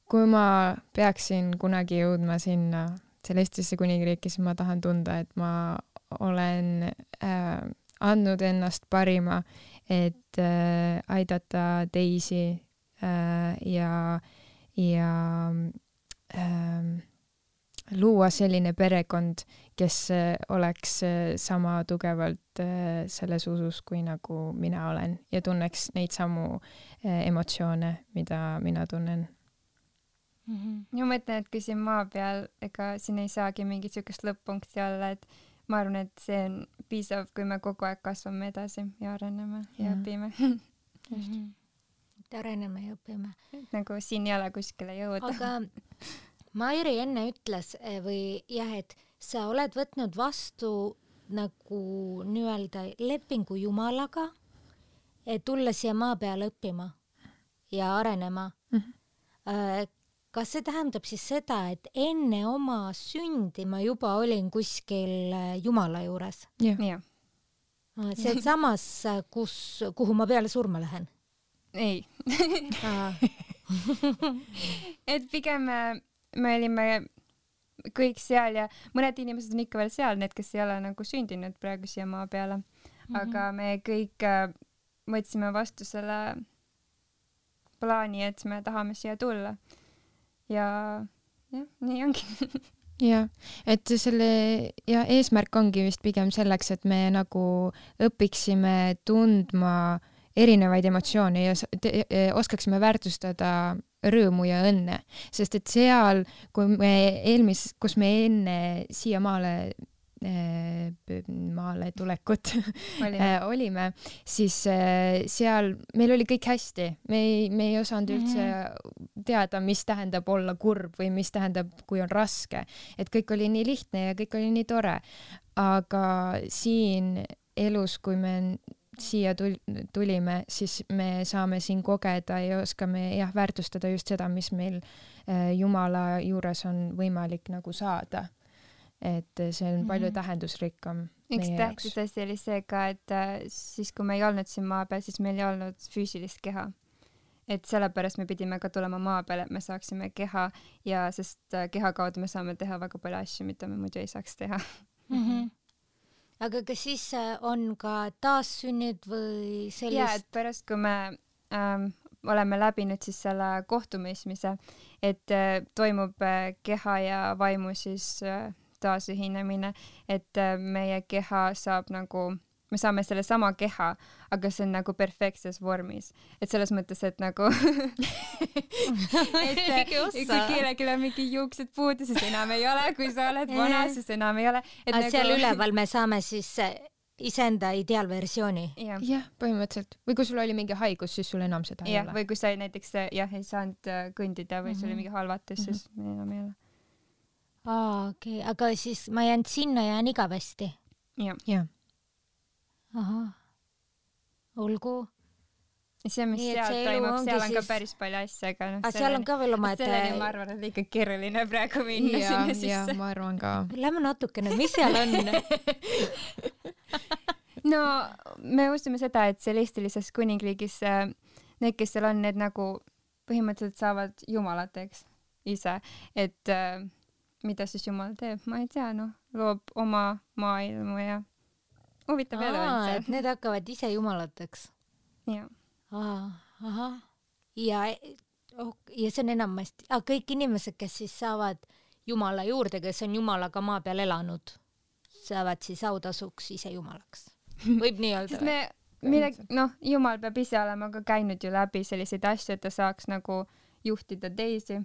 kui ma peaksin kunagi jõudma sinna Celestisse kuningriiki, siis ma tahan tunda, et ma olen äh, andnud ennast parima, et äh, aidata teisi äh, ja, ja äh, luua selline perekond, kes äh, oleks äh, sama tugevalt äh, selles usus, kui nagu mina olen ja tunneks neid samu äh, emotsioone, mida mina tunnen. Mm-hmm. Ja ma mõtlen, et kui siin maa peal, ega siin ei saagi mingit sükest lõpp-punkti olla, et ma arvan, et see on piisav, kui me kogu aeg kasvame edasi ja areneme ja, ja õpime. Mm-hmm. Areneme ja õpime. Et nagu siin ei ole kuskile jõuda. Aga Mairi enne ütles või jah, et sa oled võtnud vastu nagu nii-öelda lepingu Jumalaga, et tulla siia maa peale õppima ja arenema. Mm-hmm. Kas see tähendab siis seda, et enne oma sündi ma juba olin kuskil Jumala juures? Jah. Ja. See on samas, kus, kuhu ma peale surma lähen? Ei. Et pigem me olime kõik seal ja mõned inimesed on ikka veel seal, need, kes ei ole nagu sündinud praegu siia maa peale. Aga mm-hmm. me kõik võtsime vastu selle plaani, et me tahame siia tulla. Ja jah, nii ongi. Ja, et selle ja eesmärk ongi vist pigem selleks, et me nagu õpiksime tundma erinevaid emotsioone ja te, oskaksime väärtustada rõõmu ja õnne, sest et seal, kui me eelmis, kus me enne siia maale maale tulekut olime. olime, siis seal meil oli kõik hästi. Me ei, me ei osanud üldse mm-hmm. teada, mis tähendab olla kurb või mis tähendab, kui on raske. Et kõik oli nii lihtne ja kõik oli nii tore. Aga siin elus, kui me siia tulime, siis me saame siin kogeda ja oskame jah, väärtustada just seda, mis meil Jumala juures on võimalik nagu saada. Et see on palju tähendusrikkam üks tähtis asi oli see ka, et siis kui me ei olnud siin maa peal, siis meil ei olnud füüsilist keha. Et sellepärast me pidime ka tulema maa peale, et me saaksime keha ja sest keha kaudu me saame teha väga palju asju, mida me muidu ei saaks teha. Mm-hmm. Aga kas siis on ka taassünnid või sellist? Ja, et pärast kui me ähm, oleme läbinud siis selle kohtumõistmise, et äh, toimub äh, keha ja vaimu siis äh, taasühinemine, et meie keha saab nagu, me saame selle sama keha, aga see on nagu perfektses vormis. Et selles mõttes, et nagu et kui kellelgi on mingi juuksed puudu, siis enam ei ole, kui sa oled vana, siis enam ei ole. Et nagu... seal üleval me saame siis iseenda ideaalversiooni. Jah, ja, põhimõtteliselt. Või kui sul oli mingi haigus, siis sul enam seda ja, ei ole. Või kui sa näiteks jah, ei saanud kõndida või mm-hmm. sul oli mingi halvatus, siis mm-hmm. enam ei ole. Aa, okei, okay. Aga siis ma jään sinna jään igavesti? Jah. Ja. Aha. Olgu. See, mis Nii, seal toimub, seal on siis... ka päris palju asja, aga noh, ah, seal on ka veel oma, et... Selleni ma arvan, et ikka keeruline praegu minna ja, sinna sisse. Ja, ma arvan ka. Lähme natukene, mis seal on? No, me usume seda, et Celestilises kuningriigis need, kes seal on, need nagu põhimõtteliselt saavad jumalateks ise, et mida siis Jumal teeb, ma ei tea, noh, loob oma maailmu ja huvitav elu on see. Et need hakkavad ise jumalateks? Jah. Aha. Ja, oh, ja see on enamasti, ah, kõik inimesed, kes siis saavad Jumala juurde, kes on Jumalaga maa peal elanud, saavad siis autasuks ise Jumalaks. Võib nii öelda või? Mille, noh, Jumal peab ise olema ka käinud ju läbi selliseid asju, et ta saaks nagu juhtida teisi.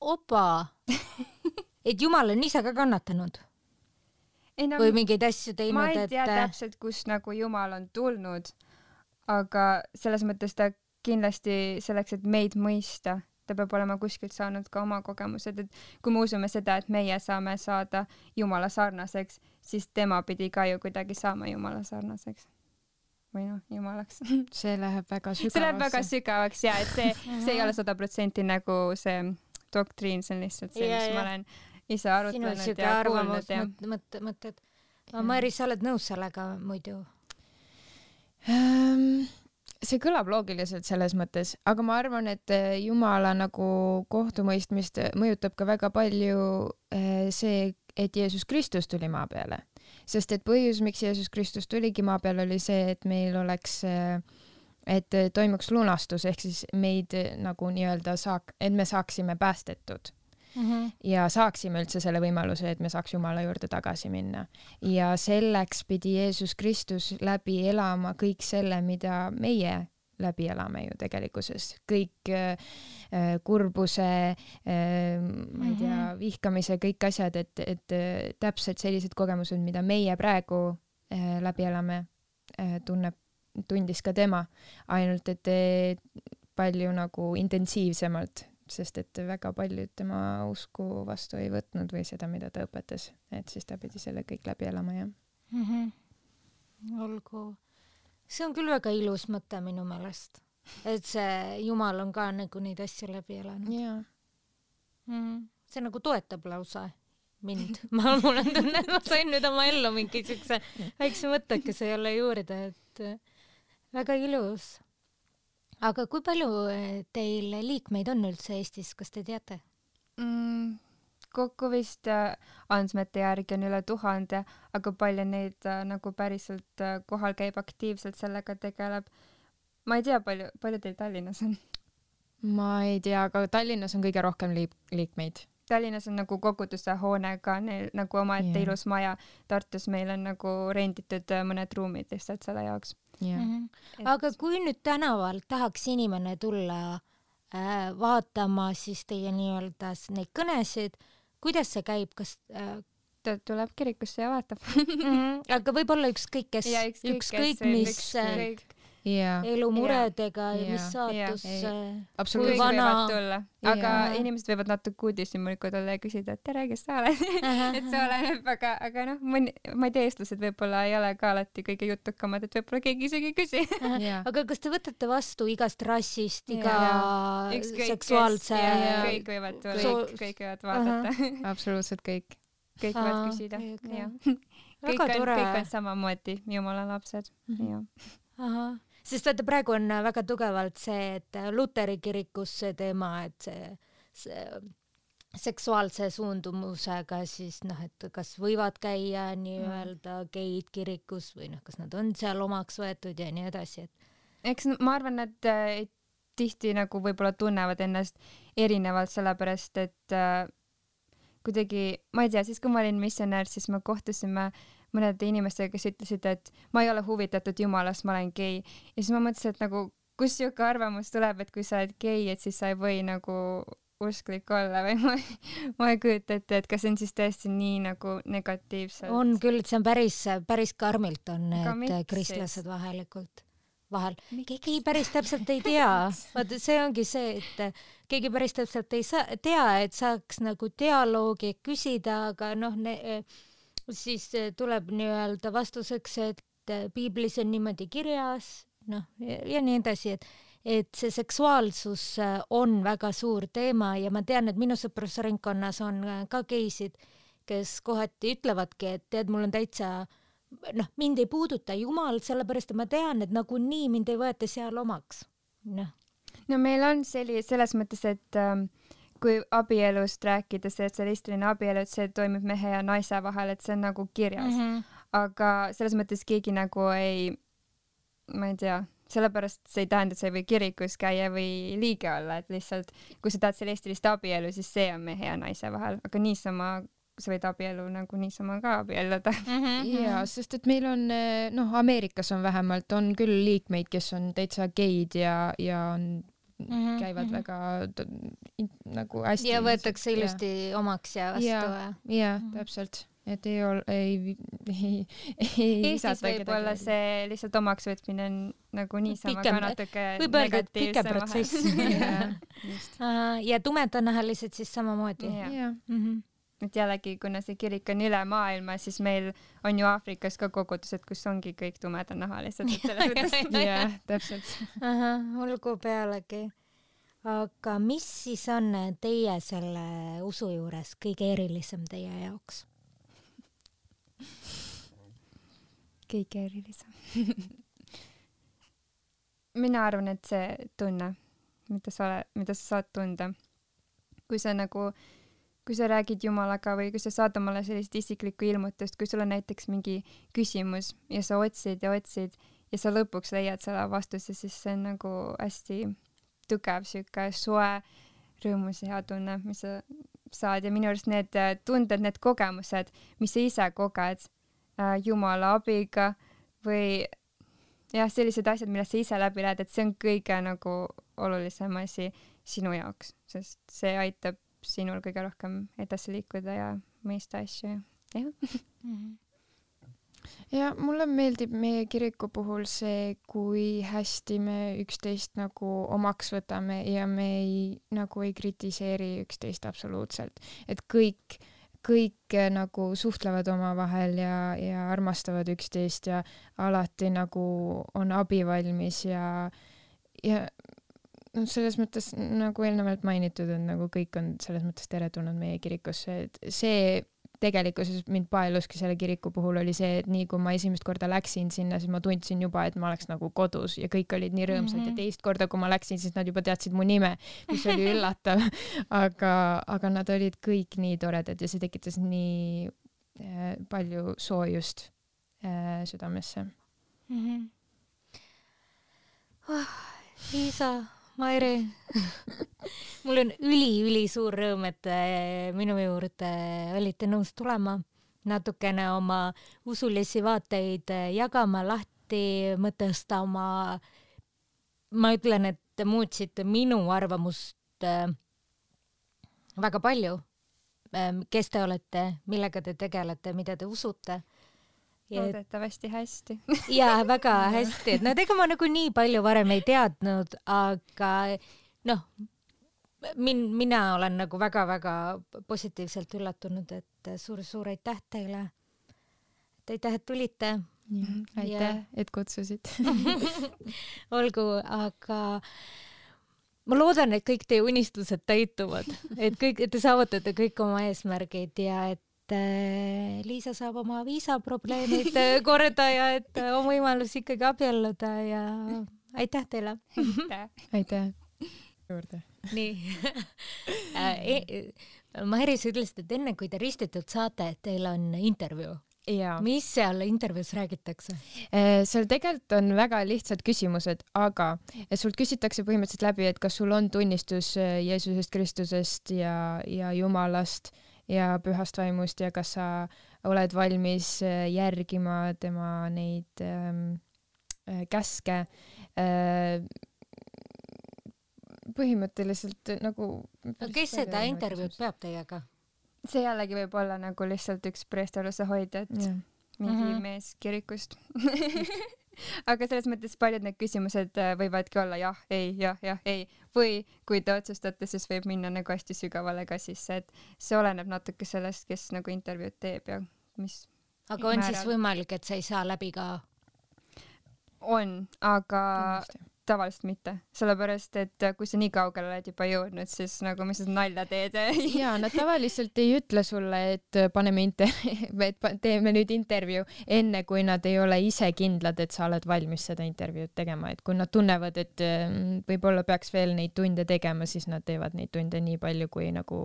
Opa! Et Jumal on ise ka kannatanud? Ei, no, või mingeid asju teinud, ma ei tea et... täpselt, kus nagu Jumal on tulnud, aga selles mõttes ta kindlasti selleks, et meid mõista, ta peab olema kuskilt saanud ka oma kogemused, et kui me usume seda, et meie saame saada Jumala sarnaseks, siis tema pidi ka ju kuidagi saama Jumala sarnaseks. Või noh, Jumalaks. See läheb väga sügavaks. See läheb väga sügavaks, ja, et see, see ei ole sada protsenti nagu see doktriin, see on lihtsalt see, mis ma olen ise arutlenud ja kuulnud. Mõtted, mõtted. Mari, sa oled nõus sellega muidu? Um, see kõlab loogiliselt selles mõttes, aga ma arvan, et Jumala nagu kohtumõistmist mõjutab ka väga palju see, et Jeesus Kristus tuli maa peale. Sest et põhjus, miks Jeesus Kristus tuligi maa peale, oli see, et meil oleks, et toimuks lunastus, ehk siis meid nagu nii-öelda saak, et me saaksime päästetud. Mm-hmm. Ja saaksime üldse selle võimaluse, et me saaks Jumala juurde tagasi minna. Ja selleks pidi Jeesus Kristus läbi elama kõik selle, mida meie läbi elame ju tegelikkuses. Kõik äh, kurbuse, äh, ma ei tea, vihkamise, kõik asjad, et, et äh, täpselt sellised kogemused, mida meie praegu äh, läbi elame, äh, tunneb, tundis ka tema. Ainult, et äh, palju nagu intensiivsemalt, sest et väga paljud tema usku vastu ei võtnud või seda, mida ta õpetas, et siis ta pidi selle kõik läbi elama, jah. Mm-hmm. Olgu. See on küll väga ilus mõte minu meelest, et see Jumal on ka nagu neid asju läbi elanud. Yeah. Mm-hmm. See nagu toetab lausa mind. Ma mulle tunne, et ma sain nüüd oma ellu mingi siukse väikse mõttekese jälle juurde, et väga ilus. Aga kui palju teil liikmeid on üldse Eestis, kas te teate? Mm, kokku vist äh, andmete järgi on üle tuhande, aga palju neid äh, nagu päriselt äh, kohal käib aktiivselt sellega tegeleb. Ma ei tea, palju, palju teil Tallinnas on? Ma ei tea, aga Tallinnas on kõige rohkem liik- liikmeid. Tallinnas on nagu koguduse hoonega, neil nagu omaette yeah. ilus maja. Tartus meil on nagu renditud mõned ruumid lihtsalt selle jaoks. Yeah. Mm-hmm. Aga kui nüüd tänaval tahaks inimene tulla äh, vaatama siis teie nii-öelda neid kõnesid, kuidas see käib, kas äh... ta tuleb kirikusse ja vaatab mm-hmm. Aga võib-olla ükskõik, kes ja, ükskõik, ükskõik, kes, mis ükskõik. Yeah. elumuredega ja, ja mis saatus yeah. kui vana aga yeah. inimesed võivad natuke uudishimulikud olla ja küsida, et tere, kes sa oled et see oleneb, aga, aga noh, ma ei tea, eestlased võib-olla ei ole ka alati kõige jutukamad, et võib-olla keegi isegi küsi yeah. Aga kas te võtate vastu igast rassist, iga yeah. Ükskõik, seksuaalse yeah. kõik võivad tulla, so... kõik võivad vaadata uh-huh. absoluutselt kõik kõik võivad uh-huh. küsida okay, okay. kõik, on, kõik on samamoodi Jumala lapsed mm-hmm. ja. Aha. Sest vaata, praegu on väga tugevalt see, et Luteri kirikus see teema, et see, see seksuaalse suundumusega siis noh, et kas võivad käia nii-öelda geid kirikus või noh, kas nad on seal omaks võetud ja nii edasi. Et... Eks ma arvan, et äh, tihti nagu võib-olla tunnevad ennast erinevalt, sellepärast et äh, kuidagi, ma ei tea, siis kui ma olin missionär, siis me kohtusime mõnede inimestega, kes ütlesid, et ma ei ole huvitatud Jumalast, ma olen gei. Ja siis ma mõtlesin, et nagu, kus siuke arvamus tuleb, et kui sa oled gei, et siis sa ei või nagu usklik olla või ma, ma ei kujuta ette, et kas see on siis tõesti nii nagu negatiivselt. On küll, et see on päris, päris karmilt on need kristlased vahelikult. Vahel. Keegi päris täpselt ei tea. Vaata, see ongi see, et keegi päris täpselt ei saa, tea, et saaks nagu dialoogi küsida, aga noh, ne, siis tuleb nii-öelda vastuseks, et piiblis on niimoodi kirjas, noh, ja, ja nii edasi, et, et see seksuaalsus on väga suur teema ja ma tean, et minu sõprusringkonnas on ka geisid, kes kohati ütlevadki, et tead, mul on täitsa, noh, mind ei puuduta Jumal, sellepärast et ma tean, et nagu nii mind ei võeta seal omaks. Noh. No meil on selli, selles mõttes, et ähm, kui abielust rääkida, see, et see listiline abielu, et see toimub mehe ja naise vahel, et see on nagu kirjas. Mm-hmm. Aga selles mõttes keegi nagu ei, ma ei tea, sellepärast see ei tähenda, et sa ei või kirikus käia või liige olla, et lihtsalt kui sa tahad celestilist abielu, siis see on mehe ja naise vahel, aga niisama sa võid abielu nagu niisama ka abielluda. Mm-hmm. Ja, sest et meil on, noh, Ameerikas on vähemalt, on küll liikmeid, kes on täitsa geid ja, ja on, mm-hmm. käivad väga nagu hästi. Ja võetakse ilusti ja. Omaks ja vastu. Ja, ja mm-hmm. täpselt. Et ei ole, ei, ei, ei Eestis võib olla see lihtsalt omaks võtmine on nagu niisama ka natuke negatiivsem protsess. ja, ja tumedanahalised siis samamoodi. Ja. Ja. Mm-hmm. Et jällegi, kuna see kirik on üle maailma, siis meil on ju Aafrikas ka kogudused, kus ongi kõik tumedanahalised. ja, täpselt. Aha, olgu pealegi. Aga mis siis on teie selle usu juures kõige erilisem teie jaoks? Kõige erilisem. Mina arvan, et see tunne, mida sa, ole, mida sa saad tunda. Kui sa nagu, kui sa räägid Jumalaga või kui sa saad omale sellist isiklikku ilmutust, kui sul on näiteks mingi küsimus ja sa otsid ja otsid ja sa lõpuks leiad selle vastuse, siis see on nagu hästi tugev, siuke soe, rõõmus ja hea tunne, mis sa saad ja minu arust need tunded, need kogemused, mis sa ise koged äh, Jumala abiga või jah, sellised asjad, millest sa ise läbi lähed, et see on kõige nagu olulisem asi sinu jaoks, sest see aitab sinul kõige rohkem edasi liikuda ja mõista asju. Jah. Mm-hmm. Ja mulle meeldib meie kiriku puhul see, kui hästi me üksteist nagu omaks võtame ja me ei, nagu ei kritiseeri üksteist absoluutselt. Et kõik, kõik nagu suhtlevad omavahel ja, ja armastavad üksteist ja alati nagu on abivalmis ja, ja no selles mõttes nagu eelnevalt mainitud, et nagu kõik on selles mõttes teretulnud meie kirikusse, et see tegelikkuses mind paeluski selle kiriku puhul oli see, et nii kui ma esimest korda läksin sinna, siis ma tundsin juba, et ma oleks nagu kodus ja kõik olid nii rõõmsad mm-hmm. ja teist korda, kui ma läksin, siis nad juba teadsid mu nime, mis oli üllatav, aga, aga nad olid kõik nii toredad ja see tekitas nii äh, palju soojust äh, südamesse. Mm-hmm. Oh, Liisa, Mairi, mul on üli-üli suur rõõm, et minu juurde olite nõus tulema, natukene oma usulisi vaateid jagama, lahti mõtesta oma, ma ütlen, et te muutsite minu arvamust väga palju, kes te olete, millega te tegelete, mida te usute. Loodetavasti hästi. Jaa, väga hästi. Et no ega ma nagu nii palju varem ei teadnud, aga noh, min, mina olen nagu väga-väga positiivselt üllatunud, et suur-suur aitäh teile. Et aitäh, et tulite. Ja, aitäh, ja. Et kutsusid. Olgu, aga ma loodan, et kõik teie unistused täituvad, et kõik, et te saavutate kõik oma eesmärgid ja et Liisa saab oma viisaprobleemid korda ja et on võimalus ikkagi abielluda ja aitäh teile. Aitäh. Aitäh. Juurde. Nii. Mairi, sa ütlesid, et enne kui te ristitud saate, et teil on intervjuu. Ja. Mis seal intervjuus räägitakse? Seal tegelikult on väga lihtsad küsimused, aga sult küsitakse põhimõtteliselt läbi, et kas sul on tunnistus Jeesusest Kristusest ja, ja Jumalast ja pühast vaimust ja kas sa oled valmis järgima tema neid ähm, käske. Äh, põhimõtteliselt nagu... No, kes seda intervjuud peab teiega? See jällegi võib olla nagu lihtsalt üks preestorluse hoidjad, yeah. mingi mm-hmm. mees kirikust. Aga selles mõttes paljud need küsimused võivadki olla jah, ei, jah, jah, ei. Või kui te otsustate, siis võib minna nagu hästi sügavale ka sisse, et see oleneb natuke sellest, kes nagu intervjuud teeb ja mis... Aga on määral. Siis võimalik, et sa ei saa läbi ka? On, aga... Kindlasti. Tavaliselt mitte, sellepärast, et kui sa nii kaugele oled juba jõudnud, siis nagu mis seda nalja teed. Jaa, nad tavaliselt ei ütle sulle, et paneme inter- et teeme nüüd intervjuu enne, kui nad ei ole ise kindlad, et sa oled valmis seda intervjuud tegema. Et kui nad tunnevad, et võib-olla peaks veel neid tunde tegema, siis nad teevad neid tunde nii palju, kui nagu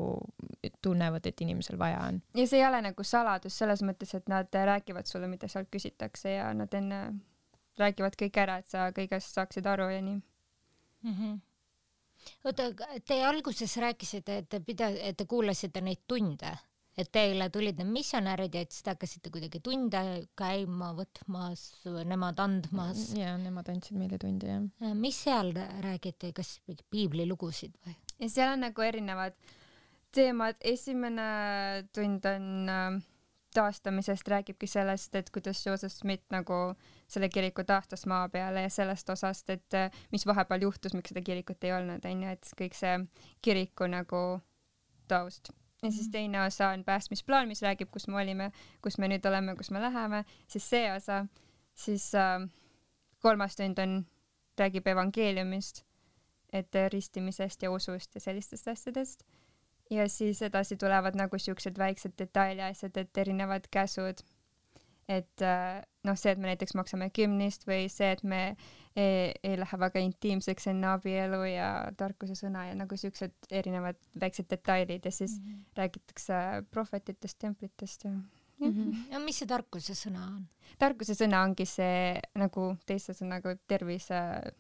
tunnevad, et inimesel vaja on. Ja see ei ole nagu saladus selles mõttes, et nad räägivad sulle, mida sealt küsitakse ja nad enne räägivad kõik ära, et sa kõigest saaksid aru ja nii mm. -hmm. oota, te alguses rääkisite, et te pida-, et te kuulasite neid tunde, et teile tulid need missionärid ja et siis te hakkasite kuidagi tunde käima, võtmas, nemad andmas. ja nemad andsid meile tunde, jah. mis seal räägiti, kas piiblilugusid või? ja seal on nagu erinevad teemad. Esimene tund on äh, taastamisest, räägibki sellest, et kuidas Joseph Smith nagu selle kiriku taastas maa peale ja sellest osast, et äh, mis vahepeal juhtus, miks seda kirikut ei olnud, on ju, et kõik see kiriku nagu taust. Ja siis teine osa on päästmisplaan, mis räägib, kus me olime, kus me nüüd oleme, kus me läheme, siis see osa, siis äh, kolmas tund on, räägib evangeeliumist, et ristimisest ja usust ja sellistest asjadest. Ja siis edasi tulevad nagu siuksed väiksed detailiasjad, et erinevad käsud. Et noh, see, et me näiteks maksame kümnist või see, et me ei, ei lähe väga intiimseks enne abielu ja tarkuse sõna ja nagu siuksed erinevad väiksed detailid ja siis mm -hmm. räägitakse prohvetitest, templitest ja mm. -hmm. ja mis see tarkuse sõna on? Tarkuse sõna ongi see nagu teise sõnaga tervise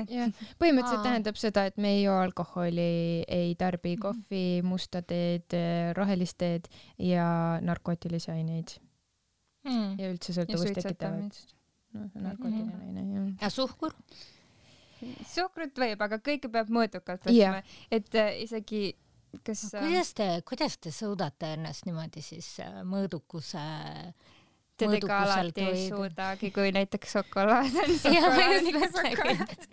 jah, põhimõtteliselt tähendab seda, et me ei joo alkoholi, ei tarbi kohvi, musta teed, rohelist teed ja narkootilisi aineid mm. ja üldse sõltuvust tekitavad. No, narkootiline mm. aine, jah. Ja suhkur? Suhkrut võib, aga kõike peab mõõdukalt võtma, et äh, isegi kas no, kuidas te, kuidas te suudate ennast niimoodi siis mõõdukuse Tedega alati ei suudagi, kui näiteks šokolaad on šokolaad.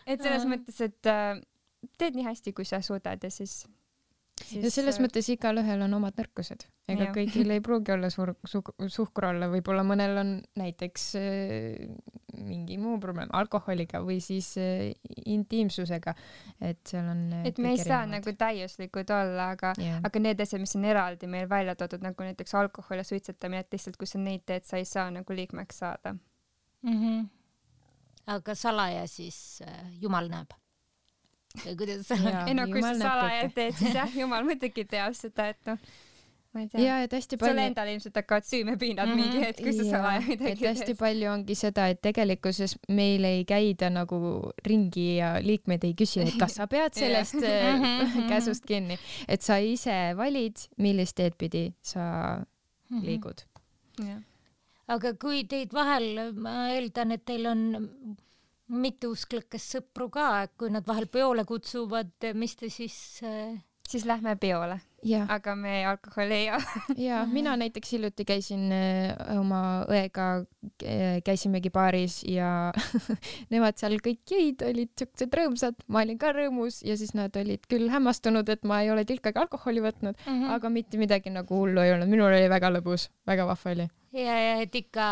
et selles mõttes, et äh, teed nii hästi, kui sa suudad ja siis, siis... ja selles mõttes igal ühel on omad nõrkused. Ega ja. kõigil ei pruugi olla suur, su, suhkur olla, võib-olla mõnel on näiteks äh, mingi muu probleem alkoholiga või siis äh, intiimsusega, et seal on äh, et me ei saa nagu täiuslikud olla, aga, yeah. aga need asjad, mis on eraldi meil välja toodud, nagu näiteks alkohol ja suitsetamine, et lihtsalt kui sa neid teed, sa ei saa nagu liikmeks saada mm. -hmm. aga salaja siis äh, Jumal näeb? või kuidas sa ei no kui sa salaja teed, siis jah, Jumal muidugi teab seda, et noh ma ei tea, ja, et hästi palju... sulle endal ilmselt hakkavad süümepiinad mm -hmm. mingi hetk, kui sa salaja midagi teed. Et hästi palju ongi seda, et tegelikkuses meil ei käida nagu ringi ja liikmed ei küsi, et kas sa pead sellest käsust kinni, et sa ise valid, millist teed pidi sa liigud. Ja. aga kui teid vahel, ma eeldan, et teil on mitteusklikest sõpru ka, kui nad vahel peole kutsuvad, mis te siis... siis lähme peole, aga me alkoholi ei joo. ja mina näiteks hiljuti käisin oma õega, käisimegi baaris ja nemad seal kõik jõid, olid siuksed rõõmsad, ma olin ka rõõmus ja siis nad olid küll hämmastunud, et ma ei ole tilkagi alkoholi võtnud mm, -hmm. aga mitte midagi nagu hullu ei olnud, minul oli väga lõbus, väga vahva oli. ja, ja et ikka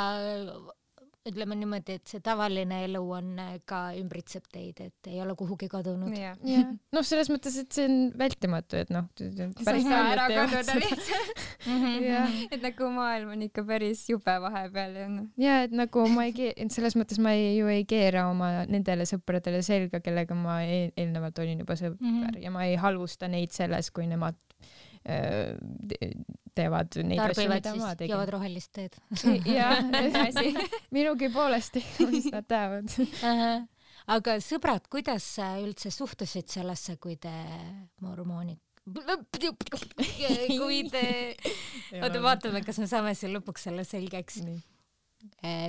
ütleme niimoodi, et see tavaline elu on ka ümbritseb teid, et ei ole kuhugi kadunud. Yeah. Yeah. noh, selles mõttes, et see on vältimatu, et noh, päris ära kaduda lihtsalt. et nagu maailm on ikka päris jube vahepeal ja noh. ja et nagu ma ei keera, selles mõttes ma ei, ju ei keera oma nendele sõpradele selga, kellega ma eel, eelnevalt olin juba sõber mm -hmm. ja ma ei halvusta neid selles, kui nemad teevad neid asju, mida ma tegin. joovad rohelist teed. jah, minugi poolesti, mis nad teavad. aga sõbrad, kuidas sa üldse suhtusid sellesse, kui te mormoonid kui te oota, vaatame, kas me saame siin lõpuks selle selgeks.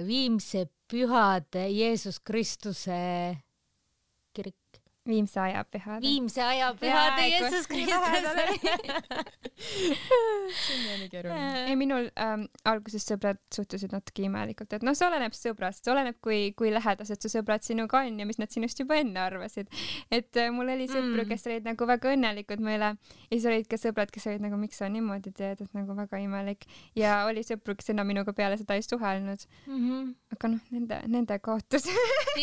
Viimse pühad Jeesus Kristuse kirik. Viimse aja pühad. Viimse aja pühad Jeesus Kristus. ei, minul ähm, alguses sõbrad suhtusid natuke imelikult, et noh, see oleneb sõbrast, see oleneb, kui, kui lähedased su sõbrad sinuga on ja mis nad sinust juba enne arvasid. Et äh, mul oli sõpru, kes olid nagu väga õnnelikud meile ja siis olid ka sõbrad, kes olid nagu, miks sa niimoodi teed, et nagu väga imelik. Ja oli sõpru, kes enam minuga peale seda ei suhelnud. Mm -hmm. aga noh, nende, nende kaotus.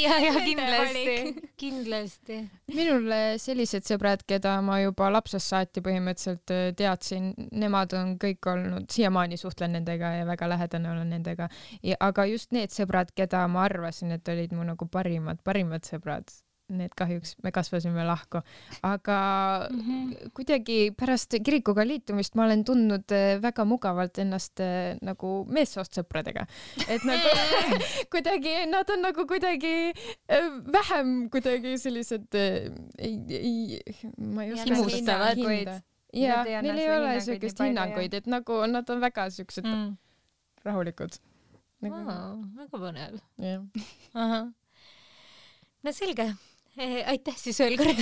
ja, ja kindlasti, kindlasti. minul sellised sõbrad, keda ma juba lapsest saati põhimõtteliselt teadsin, nemad on kõik olnud, siiamaani suhtlen nendega ja väga lähedane olen nendega. Ja, aga just need sõbrad, keda ma arvasin, et olid mu nagu parimad, parimad sõbrad, need kahjuks me kasvasime lahku, aga mm -hmm. kuidagi pärast kirikuga liitumist ma olen tundnud väga mugavalt ennast nagu meessoost sõpradega, et nagu kuidagi nad on nagu kuidagi vähem kuidagi sellised ei, ei, ma ei oska himustavad. Ja neil ei ole sellist hinnanguid, et nagu nad on väga siuksed mm. rahulikud. Nagu... Wow, väga põnev. Yeah. Aha. No selge. Aitäh siis veel kord.